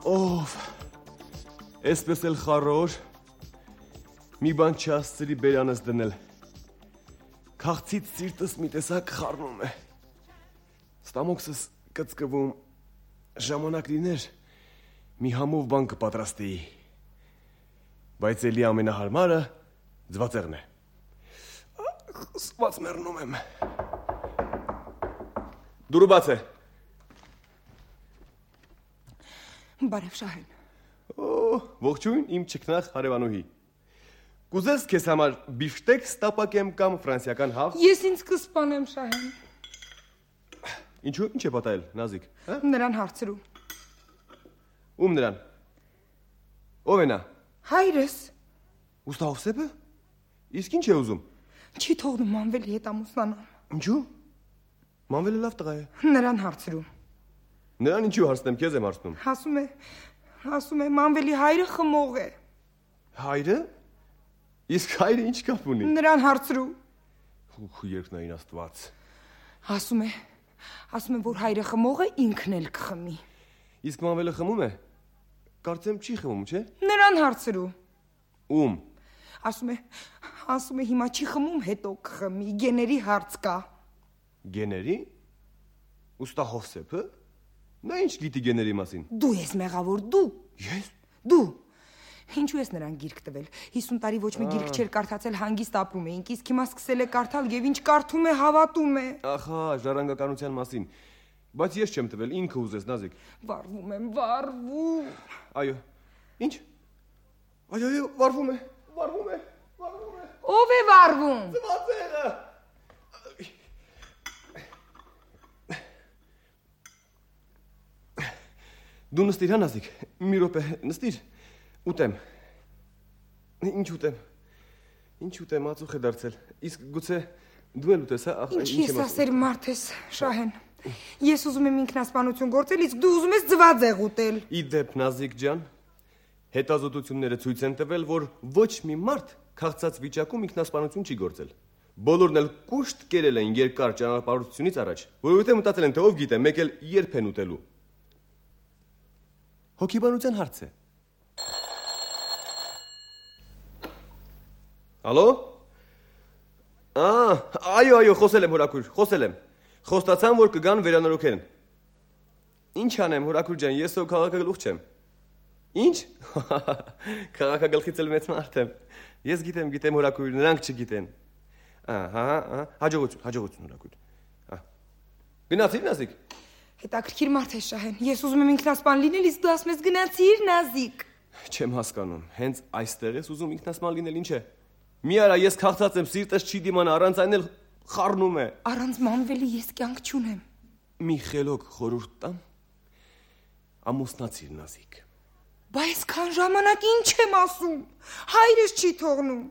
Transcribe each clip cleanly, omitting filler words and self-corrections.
Ով, այսպես էլ խառոր, մի բան չասցրի բերանս դնել, քաղցից սիրտս մի տեսակ խառնում է, ստամոքսս կծկվում, ժամանակ լիներ, մի համով բան կպատրաստեի, բայց էլի ամենահարմարը ձվածեղն է, սված մեռնում եմ, դուրը բաց է, Բարև Շահեն։ Ողջույն իմ չքնախ հարևանուհի։ Կուզես քեզ համար բիֆշտեկ ստապակեմ կամ ֆրանսիական հավ։ Ես ինձ կսպանեմ Շահեն։ Ինչու, ինչ է պատահել, Նազիկ, հա? Նրան հարցրու։ Ում նրան։ Ով է նա։ Հայրս։ Ուստա Հովսեփը։ Իսկ ինչ է ուզում։ Չի թողնում Մանվելի հետ ամուսնանալ։ Ինչու։ Մանվելը լավ տղա է։ Նրան հարցրու։ Նրան ինչու հարցնեմ, քեզ եմ հարցնում։ Ասում է Մանվելի հայրը խմող է։ Հայրը։ Իսկ հայրը ինչ կապ ունի։ Նրան հարցրու։ Երկնային Աստված։ Ասում է, որ հայրը խմող է, ինքն էլ կխմի։ Իսկ Մանվելը խմում է։ Կարծեմ չի խմում, չէ։ Նրան հարցրու։ Ում։ Ասում է հիմա չի խմում, հետո կխմի, գեների հարց կա։ Գեների։ Ուստա Հովսեփը։ Նա ինչ գիտի գեների մասին։ Դու ես մեղավոր, դու։ Ես։ Դու։ Ինչու ես նրան գիրք տվել։ 50 տարի ոչ մի գիրք չէր կարդացել, հանգիստ ապրում էինք, իսկ հիմա սկսել է կարդալ եւ ինչ կարդում է, հավատում է։ Ախա, ժառանգականության մասին։ Բայց ես չեմ տվել, ինքը ուզես, Նազիկ։ Վարվում եմ, վարվում։ Այո։ Ինչ։ Այո, վարվում է։ Ով է վարվում։ Ձվածեղը։ Դու նստիր, հա Նազիկ, մի րոպե, նստիր, ուտեմ, ինչ ուտեմ, ածուխ է դարձել, իսկ գուցե դու էլ ուտես, հա, ինչ ես ասեր մարդ ես, Շահեն, ես ուզում եմ ինքնասպանություն գործել, իսկ դու ուզում ես ձվածեղ ուտել։ Ի դեպ, Նազիկ ջան, հետազոտությունները ցույց են տվել, որ ոչ մի մարդ քաղցած վիճակում ինքնասպանություն չի գործել, բոլորն էլ կուշտ կերել են երկար ճանապարհությունից առաջ, որովհետև մտածել են, թե ով գիտե, մեկ էլ երբ են ուտելու։ Հոգեբանության հարց է։ Ալո։ Այո, խոսել եմ հորաքույր, խոսել եմ։ Խոստացան, որ կգան վերանորոգեն։ Ինչ անեմ, հորաքույր ջան, ես ո քաղաքագլուխ չեմ։ Ինչ։ Քաղաքագլխից էլ մեծ մարդ եմ։ Ես գիտեմ հորաքույր, նրանք չգիտեն։ Հաջողություն հորաքույր։ Գնացիր Նազիկ։ Հետաքրքիր մարդ է Շահեն, ես ուզում եմ ինքնասպան լինել, իսկ դու ասում ես գնացիր Նազիկ։ Չեմ հասկանում, հենց այստեղ ես ուզում ինքնասպան լինել, ինչ է։ Մի արա, ես քաղցած եմ, սիրտս չի դիմանա, առանց այն էլ խառնում է։ Առանց Մանվելի ես կյանք չունեմ։ Մի խելոք խորհուրդ տամ։ Ամուսնացիր Նազիկ։ Բայց քան ժամանակ ինչ եմ ասում։ Հայրս չի թողնում։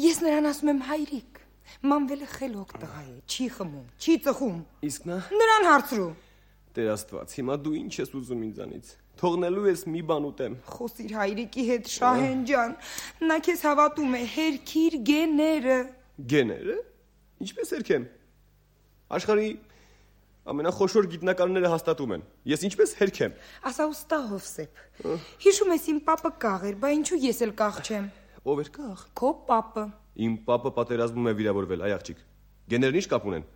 Ես նրան ասում եմ հայրիկ։ Մանվելը խելոք տղա է, չի խմում, չի ծխում։ Իսկ նա։ Նրան հարցրու։ Տեր Աստված, հիմա դու ինչ ես ուզում ինձանից։ Թողնելու ես մի բան ուտեմ։ Խոսիր հայրիկի հետ Շահեն ջան, նա քեզ հավատում է, հերքիր գեները։ Գեները։ Ինչպես հերքեմ։ Աշխարհի ամենախոշոր գիտնականները հաստատում են։ Ես ինչպես հերքեմ։ Ասա ուստա Հովսեփ։ Հիշում ես իմ պապը կաղ էր, բա ինչու ես էլ կաղ չեմ։ Ով էր կաղ։ Քո պապը։ Իմ պապը պատերազմում է վիրավորվել, այ աղջիկ։ Գեներն ինչ կապ ունեն։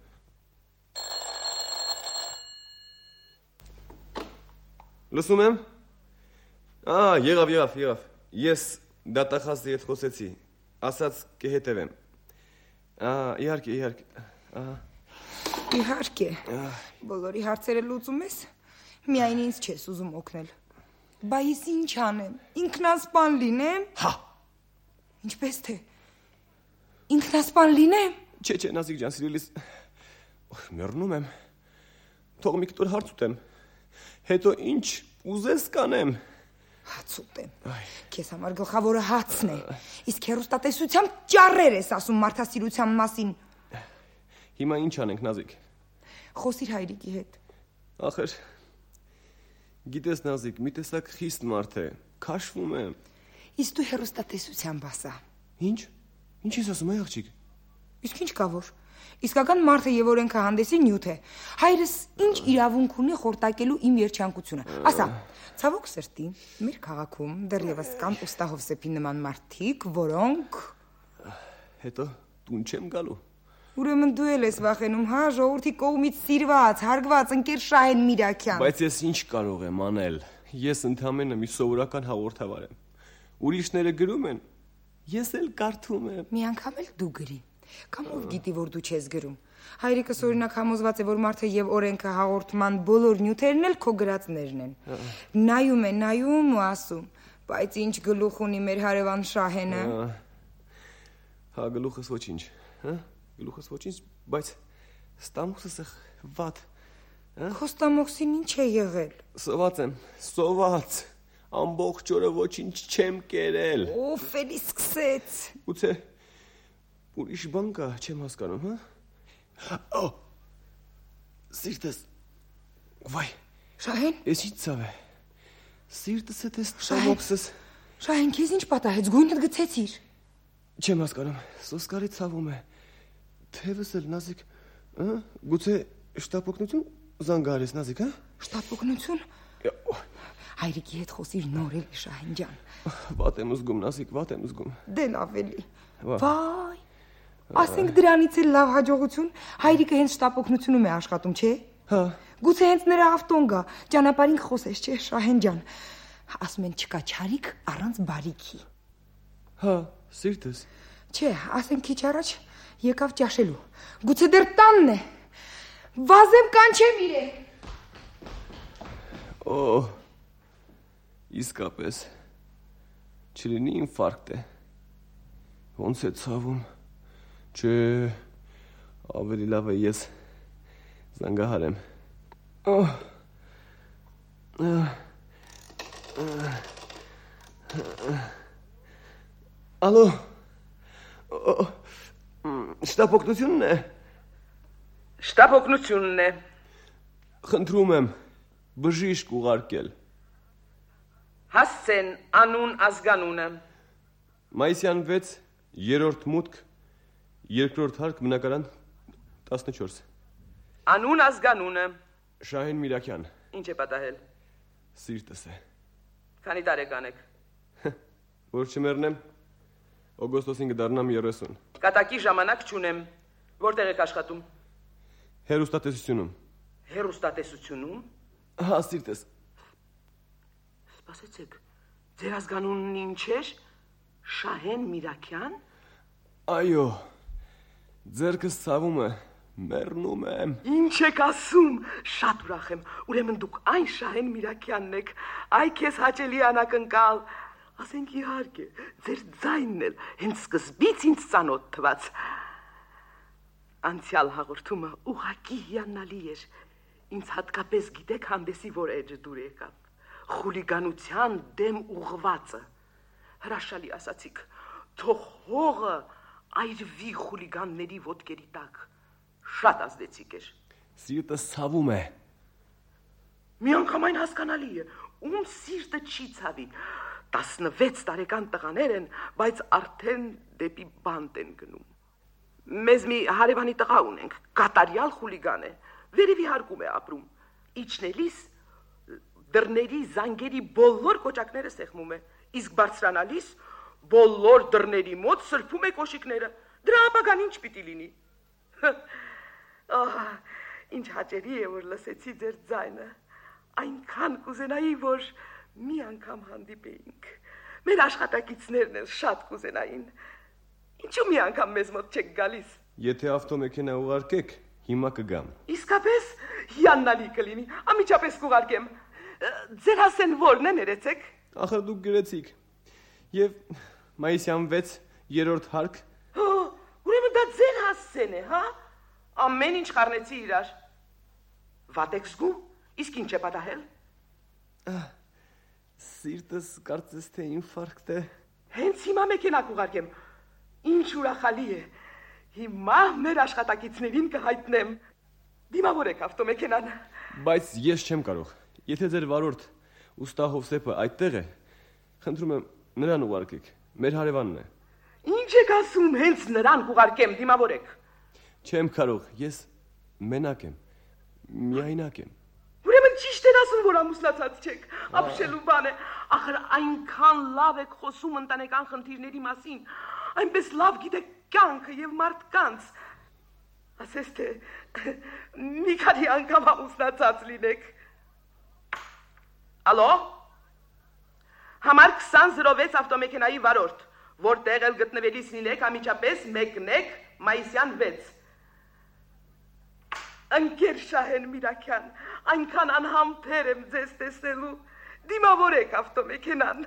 Լսում եմ։ Եղավ։ Ես դատախազի հետ խոսեցի։ Ասաց կհետևեմ։ Իհարկե։ Իհարկե։ Բոլորի հարցերը լուծում ես, միայն ինձ չես ուզում օգնել։ Բայց ինչ անեմ, ինքնասպան լինեմ։ Հա։ Ինչպես թե։ Ինքնասպան լինեմ։ Չէ, Նազիկ ջան, սիրելիս։ Մեռնում եմ։ Թող մի կտոր հարց ուտեմ։ Հետո ինչ ուզես կանեմ։ Հաց ուտեմ։ Քեզ համար գլխավորը հացն է։ Իսկ հեռուստատեսությամբ ճառեր ես ասում մարդասիրության մասին։ Հիմա ինչ անենք, Նազիկ։ Խոսիր հայրիկի հետ։ Ախր գիտես Նազիկ, մի տեսակ խիստ մարդ է, քաշվում է։ Իսկ դու հեռուստատեսությամբ ասա։ Ինչ ես ասում, այ աղջիկ։ Իսկ ինչ կա որ։ Իսկական մարդը եւ օրենքը հանդեսի նյութ է։ Հայրս ինչ իրավունք ունի խորտակելու իմ երջանկությունը։ Ասա, ցավոք սրտի, մեր քաղաքում դեռևս կան Ուստահովսեփի նման մարդիկ, որոնք Հետո տուն չեմ գալու։ Ուրեմն դու էլ ես վախենում, հա, ժողովրդի կողմից սիրված, հարգված ընկեր Շահեն Միրաքյան։ Բայց ես ինչ կարող եմ անել։ Ես ընդամենը մի սովորական հաղորդավար եմ։ Ուրիշները գրում են, ես էլ կարդում եմ։ Մի անգամ էլ դու գրի։ Կամ ով գիտի, որ դու չես գրում։ Հայրիկս օրինակ համոզված է, որ մարդը եւ օրենքը հաղորդման բոլոր նյութերն էլ քո գրածներն են։ Նայում ու ասում, բայց ինչ գլուխ ունի մեր հարևան Շահենը։ Հա, գլուխս ոչինչ, հա? Գլուխս ոչինչ, բայց ստամոքսս է վատ։ Քո ստամոքսին ինչ է եղել։ Սոված եմ, սոված։ Ամբողջ օրը ոչինչ չեմ կերել։ Ով էլի սկսեց։ Գուցե ուրիշ բան կա, չեմ հասկանում, հա? Սիրտս։ Վայ։ Շահեն։ Ես ինչ ցավ է։ Սիրտս է տես ստամոքսս։ Շահեն, քեզ ինչ պատահեց, գույնդ գցեցիր։ Չեմ հասկանում, սոսկարի ցավում է։ Թևս էլ նազիկ, գուցե շտապօգնություն զանգարես նազիկ, հա? Շտապօգնություն։ Հայրիկի հետ խոսիր նոր էլի Շահեն ջան։ Վատ եմ զգում նազիկ, վատ եմ զգում։ Դե լավ էլի։ Վայ։ Ասենք դրանից էլ լավ հաջողություն, հայրիկը հենց շտապօգնությունում է աշխատում, չէ՞։ Հա։ Գուցե հենց նրա ավտոն գա, ճանապարհին խոսես, չէ՞ Շահեն ջան։ Ասում են չկա չարիք առանց բարիքի։ Հա, սիրտս։ Չէ, ասենք քիչ առաջ եկավ ճաշելու։ Գուցե դեռ տանն է։ Վազեմ կանչեմ իրեն։ Իսկապես չլինի ինֆարկտ է։ Ոնց է ցավում։ Չէ, ավելի լավ է ես զանգահարեմ։ Ալո։ Շտապօգնությունն է։ Շտապօգնությունն է։ Խնդրում եմ բժիշկ ուղարկել։ Հասցեն անուն ազգանունը։ Մայիսյան 6, 3-րդ մուտք, 2-րդ հարկ, բնակարան 14։ Անուն ազգանունը։ Շահեն Միրաքյան։ Ինչ է պատահել։ Սիրտս է։ Քանի տարեկան եք։ Որ չմեռնեմ, օգոստոսին կդառնամ 30։ Կատակի ժամանակ չունեմ։ Որտեղ եք աշխատում։ Հեռուստատեսությունում։ Հեռուստատեսությունում։ Հա, սիրտս։ Սպասեցեք, ձեր ազգանունն ինչ էր։ Շահեն Միրաքյան։ Այո, ձերքս ցավում է, մեռնում եմ։ Ինչ եք ասում։ Շատ ուրախ եմ։ Ուրեմն դուք այն Շահեն Միրաքյանն եք։ Այ քեզ հաճելի անակնկալ։ Ասենք իհարկե, ձեր ձայնն էլ հենց սկզբից ինձ ծանոթ թվաց։ Անցյալ հաղորդումը ուղղակի հիանալի էր։ Ինձ հատկապես գիտեք հանդեսի որ էջը դուր եկավ։ Խուլիգանության դեմ ուղղվածը։ Հրաշալի ասացիք, թող հողը այրվի խուլիգանների ոտքերի տակ։ Շատ ազդեցիկ էր։ Սիրտս ցավում է։ Մի անգամ այն հասկանալի է, ում սիրտը չի ցավի։ 16 տարեկան տղաներ են, բայց արդեն դեպի բանտ են գնում։ Մեզ մի հարևանի տղա ունենք, կատարյալ խուլիգան է, վերևի հարկում է ապրում։ Իջնելիս դռների զանգերի բոլոր կոճակները սեղմում է, իսկ բարձրանալիս բոլոր դռների մոտ սրբում է կոշիկները։ Դրա ապագան ինչ պիտի լինի։ Ինչ հաճելի է, որ լսեցի ձեր ձայնը։ Այնքան կուզենայի, որ մի անգամ հանդիպեինք։ Մեր աշխատակիցներն էլ շատ կուզենային։ Ինչու մի անգամ մեզ մոտ չեք գալիս։ Եթե ավտոմեքենա ուղարկեք, հիմա կգամ։ Իսկապես հիանալի կլինի, ամիջապես կուղարկեմ։ Ձեր հասեն որն է, ներեցեք։ Ախր դուք գրեցիք։ Եվ մայիսյան 6, 3-րդ հարկ։ Ուրեմն դա ձեր հասցեն է, հա։ Ամեն ինչ խառնեցի իրար։ Վատ եք զգում, իսկ ինչ է պատահել։ Սիրտս կարծես թե ինֆարկտ է։ Հենց հիմա մեքենա կուղարկեմ։ Ինչ ուրախալի է։ Հիմա մեր աշխատակիցներին կհայտնեմ։ Դիմավորեք ավտոմեքենան։ Բայց ես չեմ կարող։ Եթե ձեր վարորդ Ուստահովսեփը այդտեղ է, խնդրում եմ նրան ուղարկեք։ Մեր հարևանն է։ Ինչ եք ասում, հենց նրան կուղարկեմ, դիմավորեք։ Չեմ կարող, ես մենակ եմ, միայնակ եմ։ Ուրեմն ճիշտ էր ասում, որ ամուսնացած չեք, ապշելու բան է, ախր այնքան լավ եք խոսում ընտանեկան խնդիրների մասին, այնպես լավ գիտեք կյանքը եւ մարդկանց։ Ասես թե մի քանի անգամ ամուսնացած լինեք։ Ալո։ Համար 2006 ավտոմեքենայի վարորդ, որտեղ էլ գտնվելիս լինեք, անմիջապես մեկնեք մայիսյան 6։ Ընկեր Շահեն Միրաքյան, այնքան անհամբեր եմ ձեզ տեսնելու, դիմավորեք ավտոմեքենան։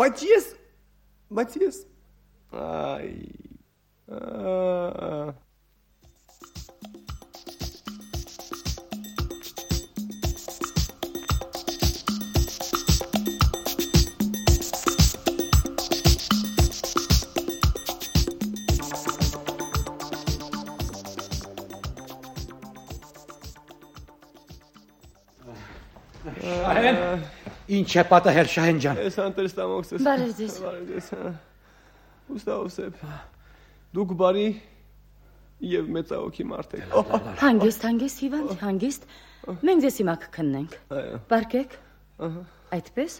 Բայց ես, այ, Ինչ է պատահել Շահեն ջան։ Ես անտերստամոքսես։ Բարև ձեզ։ Ուստա Օսեփ, դուք բարի եւ մեծահոգի մարդ եք։ Հանգիստ, հիվանդ, հանգիստ։ Մենք ձեզ հիմա կքննենք։ Բարկեք։ Այդպես։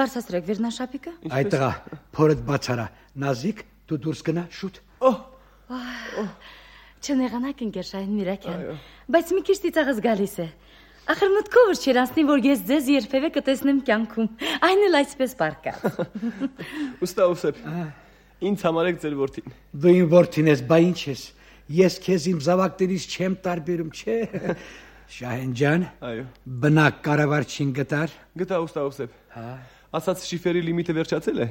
Բարձրացրեք վերնաշապիկը։ Այդ տղա, փորդ բացարա։ Նազիկ, դու դուրս գնա շուտ։ Չնեղանաք ընկեր Շահեն Միրաքյան, բայց մի քիչ ծիծաղս գալիս է։ Ախր մտքով չէր անցնի, որ ես ձեզ երբևէ կտեսնեմ կյանքում, այն էլ այսպես պարկած։ Ուստա Օսեփ, ինձ համարեք ձեր որդին։ Դու իմ որդին ես, բա ինչ ես։ Ես քեզ իմ զավակներից չեմ տարբերում, չէ։ Շահեն ջան, այո։ Բնակ կառավարչին գտար։ Գտա Ուստա Օսեփ։ Ասած շիֆերի լիմիտը վերջացել է,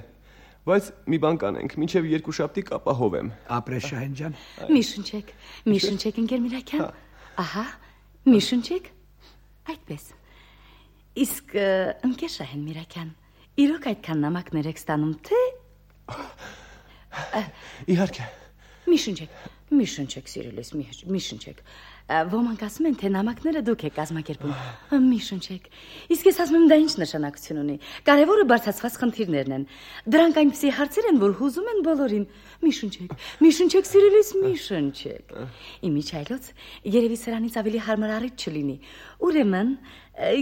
բայց մի բան կանենք, մինչև 2 շաբթի կապահովեմ։ Ապրես Շահեն ջան։ Մի շնչեք ընկեր Միրաքյան։ Ահա, մի շնչեք։ Այդպես։ Իսկ ընկեր Շահեն Միրաքյան, իրոք այդքան նամակներ եք ստանում, թե… Իհարկե։ Մի շնչեք, սիրելիս, մի շնչեք։ Ոմանք ասում են, թե նամակները դուք եք կազմակերպում։ Մի շնչեք։ Իսկ ես ասում եմ, դա ինչ նշանակություն ունի։ Կարևորը բարձրացված խնդիրներն են։ Դրանք այնպիսի հարցեր են, որ հուզում են բոլորին։ Մի շնչեք, սիրելիս, մի շնչեք։ Իմիջայլոց, երևի սրանից ավելի հարմար առիթ չլինի։ Ուրեմն,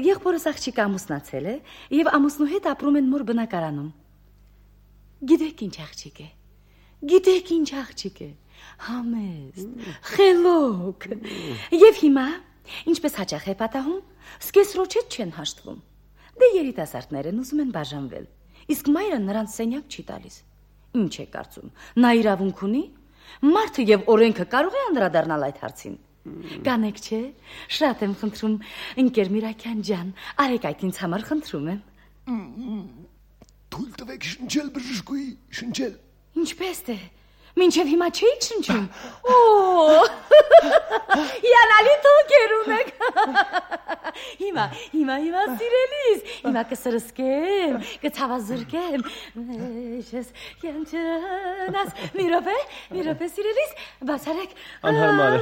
եղբորս աղջիկը ամուսնացել է եւ ամուսնու հետ ապրում են մոր բնակարանում։ Գիտեք ինչ աղջիկ է։ Համեստ, խելոք։ Եվ հիմա, ինչպես հաճախ է պատահում, սկեսրոջետ չեն հաշտվում։ Դե երիտասարդներ են ուզում են բաժանվել, իսկ մայրը նրանց սենյակ չի տալիս։ Ինչ է կարծում, նա իրավունք ունի։ Մարդը եւ օրենքը կարող է անդրադառնալ այդ հարցին։ Կանեք չէ, շատ եմ խնդրում, ընկեր Միրաքյան ջան, արեք այդ ինձ համար խնդրում եմ։ Թույլ տվեք շնչել բժշկուի, շնչել։ Ինչպես է։ Մինչև հիմա չէիք շնչում։ Յանալի թոքեր ունեք։ Հիմա սիրելիս, հիմա կսրսկեմ, կցավազրկեմ։ Ես յանչնաս, մի րոպե սիրելիս, բացարեք։ Անհարմար է։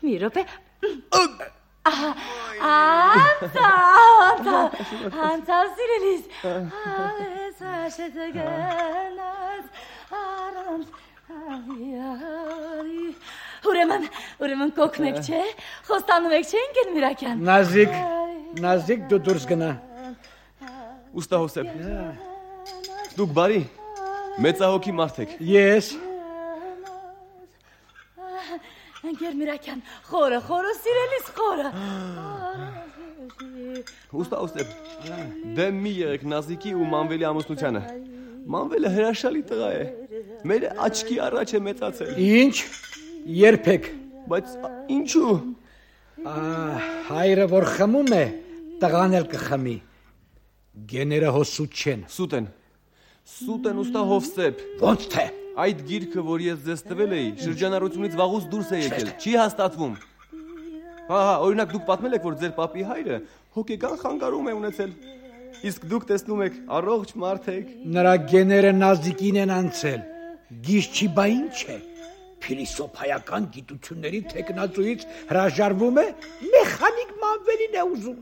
Մի րոպե։ Անցավ սիրելիս։ Ուրեմն կոքնեք չէ, խոստանում եք չէ ընկեր Միրաքյան։ Նազիկ դու դուրս գնա։ Ուստա Օսեփ, դուք բարի, մեծահոգի մարդ եք։ Ես։ Ընկեր Միրաքյան, խորը, սիրելիս խորը։ Ուստա Օսեփ, դեմ մի եղեք Նազիկի ու Մանվելի ամուսնությանը։ Մանվելը հրաշալի տղա է։ Մեր աչքի առաջ է մեծացել։ Ինչ, երբեք։ Բայց ինչու։ Հայրը որ խմում է, տղան էլ կխմի։ Գեները հոսուտ չեն։ Սուտ են ուստա Հովսեփ։ Ոնց թե։ Այդ գիրքը, որ ես ձեզ տվել էի, շրջանառությունից վաղուց դուրս է եկել, չի հաստատվում։ Օրինակ դուք պատմել եք, որ ձեր պապի հայրը հոգեկան խանգարում է ունեցել։ Իսկ դուք տեսնում եք, առողջ մարդ եք։ Նրա գեները Նազիկին են անցել։ Գիժ չի, բա ինչ է։ Փիլիսոփայական գիտությունների թեկնածուից հրաժարվում է, մեխանիկ Մանվելին է ուզում։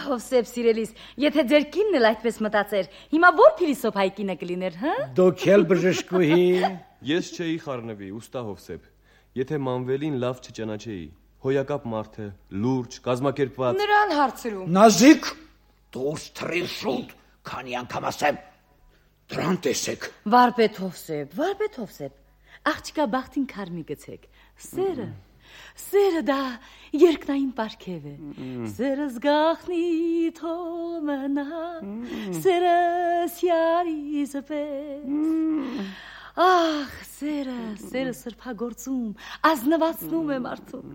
Հովսեփ սիրելիս, եթե ձեր կինն էլ այդպես մտածեր, հիմա ո՞ր փիլիսոփայի կինը կլիներ, հա? Դուք էլ բժշկուհի։ Ես չէի խառնվի, ուստա Հովսեփ, եթե Մանվելին լավ չճանաչեի։ Հոյակապ մարդ է, լուրջ, կազմակերպված։ Նրան հարցրու։ Նազիկ, դուրս թռիր շուտ, քանի անգամ ասեմ։ Դրան տեսեք։ Վարպետ Հովսեփ, աղջկա բախտին քարմի գցեք։ Սերը դա երկնային պարգև է։ Սերը զգախնի թոմնա, սերը սյարիզպես։ Ախ, սերը սրբագործում, ազնվացնում է մարդուն։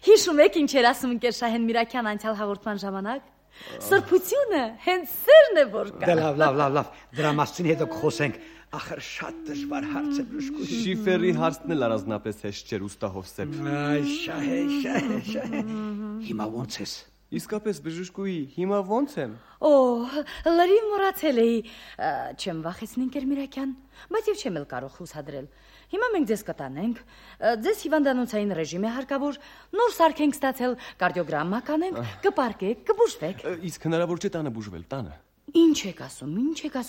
Հիշում եք ինչ էր ասում ընկեր Շահեն Միրաքյան անցյալ հաղորդման ժամանակ։ Սրբությունը հենց սերն է որ կա։ Լավ, դրա մասին հետո կխոսենք։ Ախր շատ դժվար հարց է բժշկուհի։ Շիֆերի հարցն էլ առանձնապես հեշտ չէր, ուստա Հովսեփ։ Շահե։ Հիմա ո՞նց ես։ Իսկապես բժշկուհի, հիմա ո՞նց եմ։ Լրիվ մոռացել էի, չեմ վախեցնի ընկեր Միրաքյան, բայց եւ չեմ էլ կարող հուսադրել։ Հիմա մենք ձեզ կտանենք, ձեզ հիվանդանոցային ռեժիմ է հարկավոր, նոր սարք ենք ստացել, կարդիոգրամմա կանենք, կպարկեք, կբուժվեք։ Իսկ հնարավոր չէ տանը բուժվել, տանը։ Ինչ եք ասում,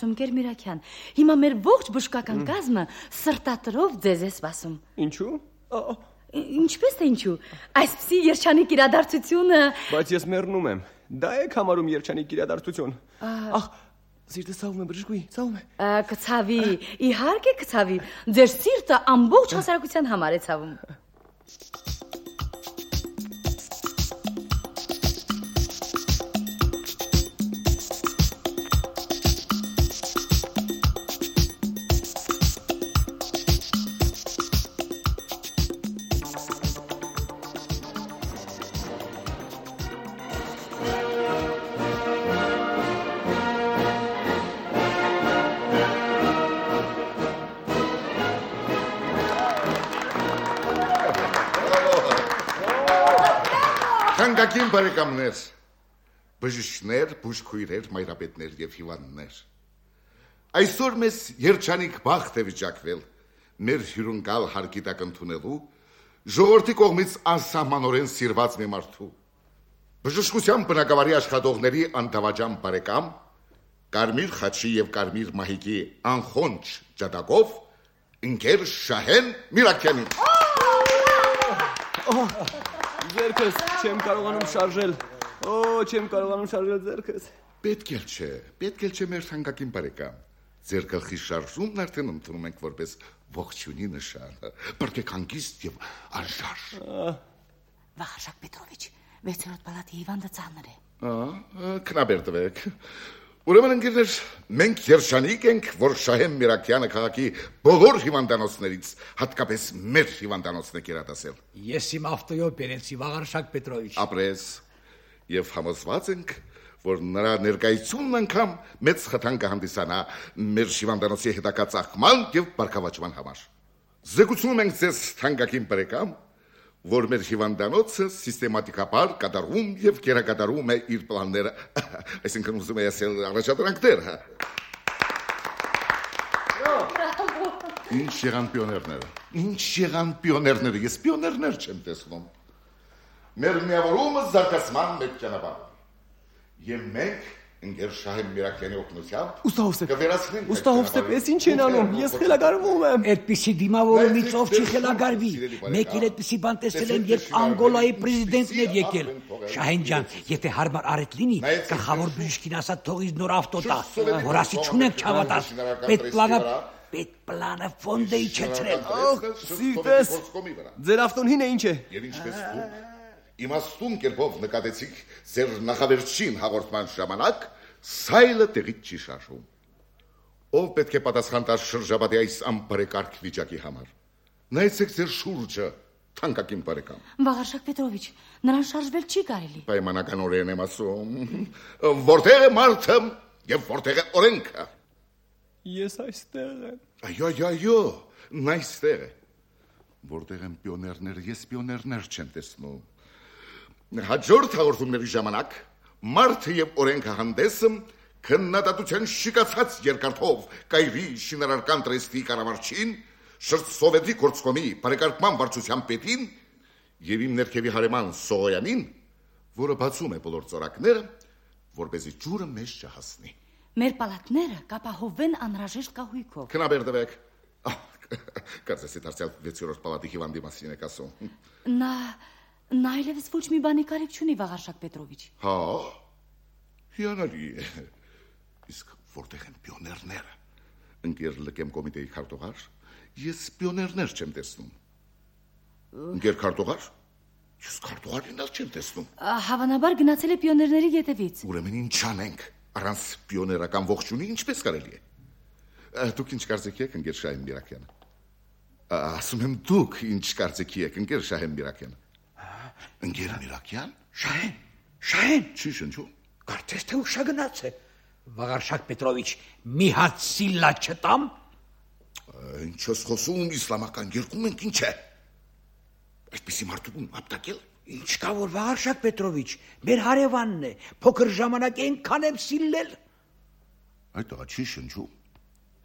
ընկեր Միրաքյան, հիմա մեր ողջ բժշկական կազմը սրտատրով ձեզ է սպասում։ Ինչու։ Ինչպես թե ինչու, այսպիսի երջանիկ իրադարձությունը։ Բայց ես մեռնում եմ, դա եք համարում երջանիկ իրադարձություն։ Ախ, սիրտը ցավում է բժշկուհի, ցավում է։ Կցավի, իհարկե կցավի, ձեր սիրտը ամբողջ հասարակության համար է ցավում։ Թանկագին բարեկամներ, բժիշկներ, բուժքույրեր, մայրապետներ եւ հիվանդներ։ Այսօր մեզ երջանիկ բախտ է վիճակվել մեր հյուրընկալ հարկի տակ ընդունելու ժողովրդի կողմից անսահմանորեն սիրված մի մարդու, բժշկության բնակավարի աշխատողների անտավաճան բարեկամ, Կարմիր խաչի եւ Կարմիր մահիկի անխոնջ ջատագով ընկեր Շահեն Միրաքյանին։ Ձերքս չեմ կարողանում շարժել։ Չեմ կարողանում շարժել ձերքս։ Պետք էլ չէ մեր թանկագին բարեկամ։ Ձեր գլխի շարժումն արդեն ընդունում ենք որպես ողջունի նշան։ Բրկեք հանգիստ եւ անշարժ։ Վախարշակ Պետրովիչ, 6-րդ պալատի հիվանդը ծանր է։ Քնաբերդվեք։ Ուրեմն ընկերներ, մենք երջանիկ ենք, որ Շահեն Միրաքյանը քաղաքի բոլոր հիվանդանոցներից, հատկապես մեր հիվանդանոցն է կերատասել։ Ես իմ ավտոյով բերեցի Վաղարշակ Պետրովիչ։ Ապրես, եւ համոզված ենք, որ նրա ներկայությունն անգամ մեծ խթան կհանդիսանա մեր հիվանդանոցի հետագա ծաղկման եւ բարգավաճման համար։ Զեկուցում ենք ձեզ թանկագին բարեկամ, որ մեր հիվանդանոցը սիստեմատիկաբար կատարում եւ կերակատարում է իր պլանները, այսինքն ուզում է ասել առաջադրանքները։ Ինչ եղան պիոներները, ես պիոներներ չեմ տեսնում։ Մեր միավորումը զարգացման մեկ ճանապարհ։ Եվ մենք ընկեր Շահեն Միրաքյանի օգնությամբ կվերացնենք։ Ուստա Հովսեփ, ես ինչ են անում, ես խելագարվում եմ։ Այդպիսի դիմավորումից ով չի խելագարվի։ Մեկ էլ այդպիսի բան տեսել եմ, երբ Անգոլայի պրեզիդենտն էր եկել։ Շահեն ջան, եթե հարմար արետ լինի, գլխավոր բժիշկին ասա թող իր նոր ավտո տա, որ ասի չունենք չհավատաս։ Պետպլանը ֆոնդ է իջեցրել։ Սիրտես, ձեր ավտոն հին է, ինչ է։ Եվ ինչպես դուք իմաստուն կերպով նկատեցիք ձեր նախավերջին հաղորդման ժամանակ, սայլը տեղից չի շարժում։ Ով պետք է պատասխան տա շրջապատի այս անբարեկարգ վիճակի համար։ Նայեցեք ձեր շուրջը, թանկագին բարեկամ։ Վաղարշակ Պետրովիչ, նրան շարժվել չի կարելի։ Պայմանականորեն եմ ասում, որտեղ է մարդը եւ որտեղ է օրենքը։ Ես այստեղ եմ։ Այո, նա այստեղ է։ Որտեղ են պիոներները, ես պիոներներ չեմ տեսնում։ Հաջորդ հաղորդումների ժամանակ մարդը եւ օրենքը հանդեսը քննադատության շիկացած երկարքով կայրի շինարարական տրեստի կառավարչին, շրջսովետի գործկոմի բարեկարգման վարչության պետին եւ իմ ներքևի հարեման Սողոյանին որը բացում է բոլոր ծորակները, որպեսզի ջուրը մեզ չհասնի։ Մեր պալատները կապահովեն անհրաժեշտ կահույքով։ Քնաբերդվեք։ Կարծես դարձյալ 6-րդ պալատի հիվանդի մասին եք ասում։ Նա այլևս ոչ մի բանի կարիք չունի, Վաղարշակ Պետրովիչ։ Հա։ Հիանալի է։ Իսկ որտեղ են պիոներները։ Ընկեր լկեմ կոմիտեի քարտուղար, ես պիոներներ չեմ տեսնում։ Ընկեր քարտուղար, ես քարտուղարին չեմ տեսնում։ Հավանաբար գնացել է պիոներների ետևից։ Ուրեմն ինչ անենք, առանց պիոներական ողջունի ինչպես կարելի է։ Դուք ինչ կարծիքի եք, ընկեր Շահեն Միրաքյան։ Ասում եմ դուք ինչ կարծիքի եք, ընկեր Շահեն Միրաքյան։ Ընկեր Միրաքյան։ Շահեն։ Չի շնչում։ Կարծես թե ուշա գնաց է։ Վաղարշակ Պետրովիչ, մի հատ սիլլա չտամ։ Ինչ ես խոսում, իսլամական երկում ենք, ինչ է։ Այսպիսի մարդու ապտակել։ Ինչ կա որ Վաղարշակ Պետրովիչ, մեր հարևանն է, փոքր ժամանակ այնքան եմ սիլլել։ Այդ աղա չի շնչում։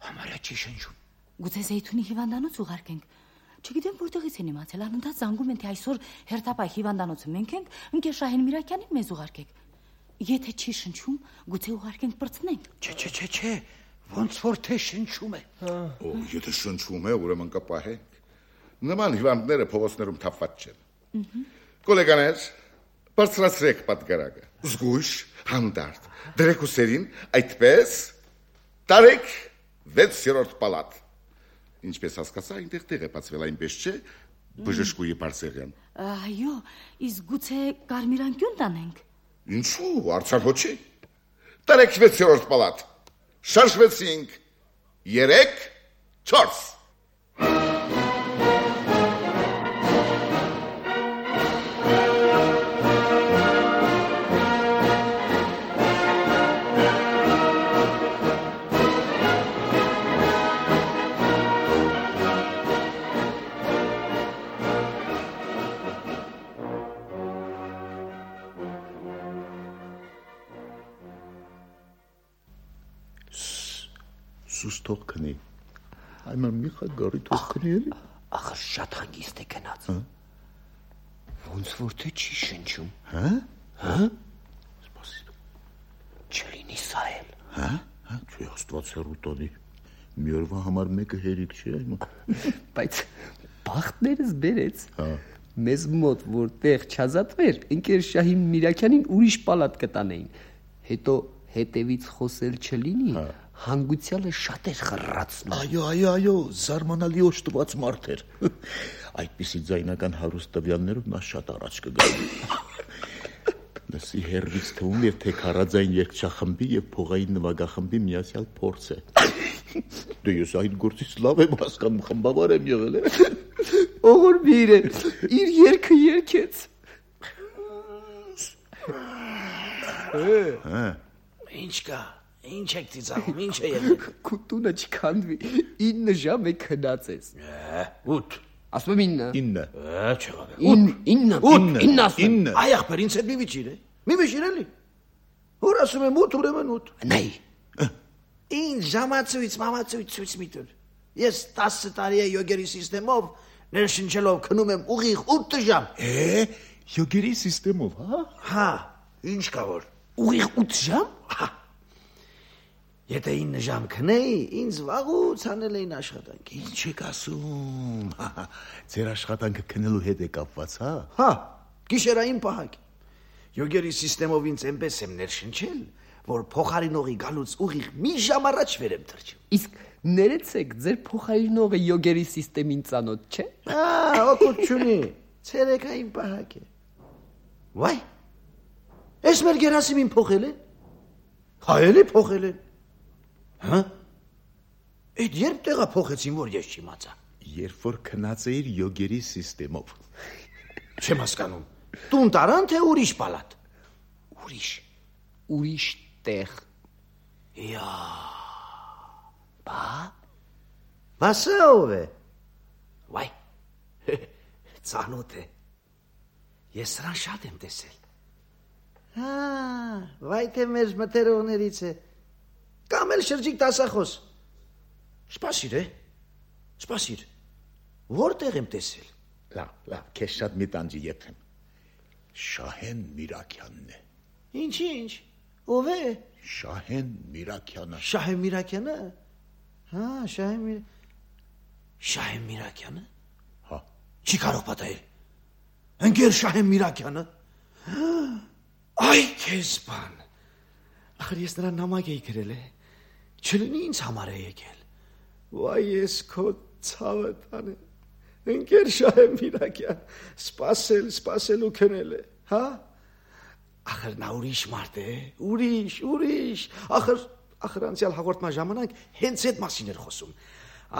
Համարյա չի շնչում։ Գուցե Զեյթունի հիվանդանոց ուղարկենք։ Չգիտեմ որտեղից են իմացել, անընդհատ զանգում են, թե այսօր հերթապահ հիվանդանոցը մենք ենք, ընկեր Շահեն Միրաքյանին մեզ ուղարկեք։ Եթե չի շնչում, գուցե ուղարկենք պրծնենք։ Չէ, ոնց որ թե շնչում է։ Եթե շնչում է, ուրեմն կպահենք։ Նման հիվանդները փողոցներում թափված չեն։ Կոլեգաներ, բարձրացրեք պատգարակը։ Զգույշ, հանդարտ, դրեք ուսերին, այդպես տարեք 6-րդ պալատ։ Ինչպես հասկացա, այնտեղ տեղ է բացվել, այնպես չէ, բժշկուի Բարսեղյան։ Այո, իսկ գուցե կարմիր անկյուն տանենք։ Ինչու, արցան հոչի։ Տարեք 6-րդ պալատ։ Շարժվեցինք 3, 4։ Սուս թող քնի։ Այման մի խա գարի թող քնի էլի։ Ախ, շատ հանգիստ է գնաց։ Ոնց որ թե չի շնչում։ Հա։ Սպասի։ Չլինի սա էլ։ Հա, չի աստված հեռու տանի։ Մի օրվա համար մեկը հերիք չի այման։ Բայց բախտներս բերեց։ Մեզ մոտ որտեղ չազատվեր, ընկեր Շահին Միրաքյանին ուրիշ պալատ կտանեին։ Հետո հետևից խոսել չլինի։ Հանգուցյալը շատ էր խռացնում։ Այո, զարմանալի օժտված մարդ էր։ Այդպիսի ձայնական հարուստ տվյալներով նա շատ առաջ կգայի։ Նսի հերվից թվում էր, թե քարաձայն երգչախմբի եւ փողային նվագախմբի միացյալ փորձ է։ Դե ես այդ գործից լավ եմ հասկանում, խմբավար եմ եղել։ Օղորբիր է, իր երգը երգեց։ Ինչ կա։ Ինչ եք ծիծաղում, ինչ է եղել։ Քուտունը չքանդվի, 9 ժամ է քնածես։ 8։ Ասում եմ 9։ 9 ասում։ Այ ախպեր, ինձ հետ մի վիճիր է։ Մի վիճիր էլի։ Որ ասում եմ 8, ուրեմն 8։ Նայ։ Ինչ ժամացույց, մամացույց ցույց մի տուր։ Ես 10 տարի է յոգերի սիստեմով ներշնչելով քնում եմ ուղիղ 8 ժամ։ Յոգերի սիստեմով, հա։ Հա, ինչ կա որ։ Ուղիղ 8 ժամ։ Հա։ Եթե 9 ժամ քնեի, ինձ վաղուց անել էին աշխատանք։ Ինչ եք ասում։ Ձեր աշխատանքը քնելու հետ է կապված, հա։ Հա, գիշերային պահակ։ Յոգերի սիստեմով ինձ այնպես եմ ներշնչել, որ փոխարինողի գալուց ուղիղ մի ժամ առաջ վեր եմ թռչում։ Իսկ ներեցեք, ձեր փոխարինողը յոգերի սիստեմին ծանոթ չէ։ Օգուտ չունի։ Ցերեկային պահակ է։ Վայ։ Էս մեր Գերասիմին փոխել են։ Հա, էլի փոխել են։ Հա։ Այդ երբ տեղա փոխեցին, որ ես չիմացա։ Երբ որ քնած էիր յոգերի սիստեմով։ Չեմ հասկանում։ Տուն տարան թե ուրիշ պալատ։ Ուրիշ տեղ։ Յա։ Բասա ով է։ Վայ։ Ծանոթ է։ Ես սրան շատ եմ տեսել։ Հա, վայ թե մեր մտերողներից է։ Կամ էլ շրջիկ տասախոս։ Սպասիր։ Որտեղ եմ տեսել։ Լավ, քեզ շատ մի տանջի եփեմ։ Շահեն Միրաքյանն է։ Ինչ։ Ով է։ Շահեն Միրաքյանը։ Շահեն Միրաքյանը։ Հա, Շահեն Միրաքյանը։ Հա։ Չի կարող պատահել։ Ընկեր Շահեն Միրաքյանը։ Այ քեզ բան։ Ախր ես նրան նամակ էի գրել է։ Չլինի ինձ համար է եկել։ Վայ ես քո ցավը տանը։ Ընկեր Շահեն Միրաքյան, սպասելու քնել է, հա։ Ախր նա ուրիշ մարդ է, ուրիշ։ Ախր անցյալ հաղորդման ժամանակ հենց այդ մասին էր խոսում։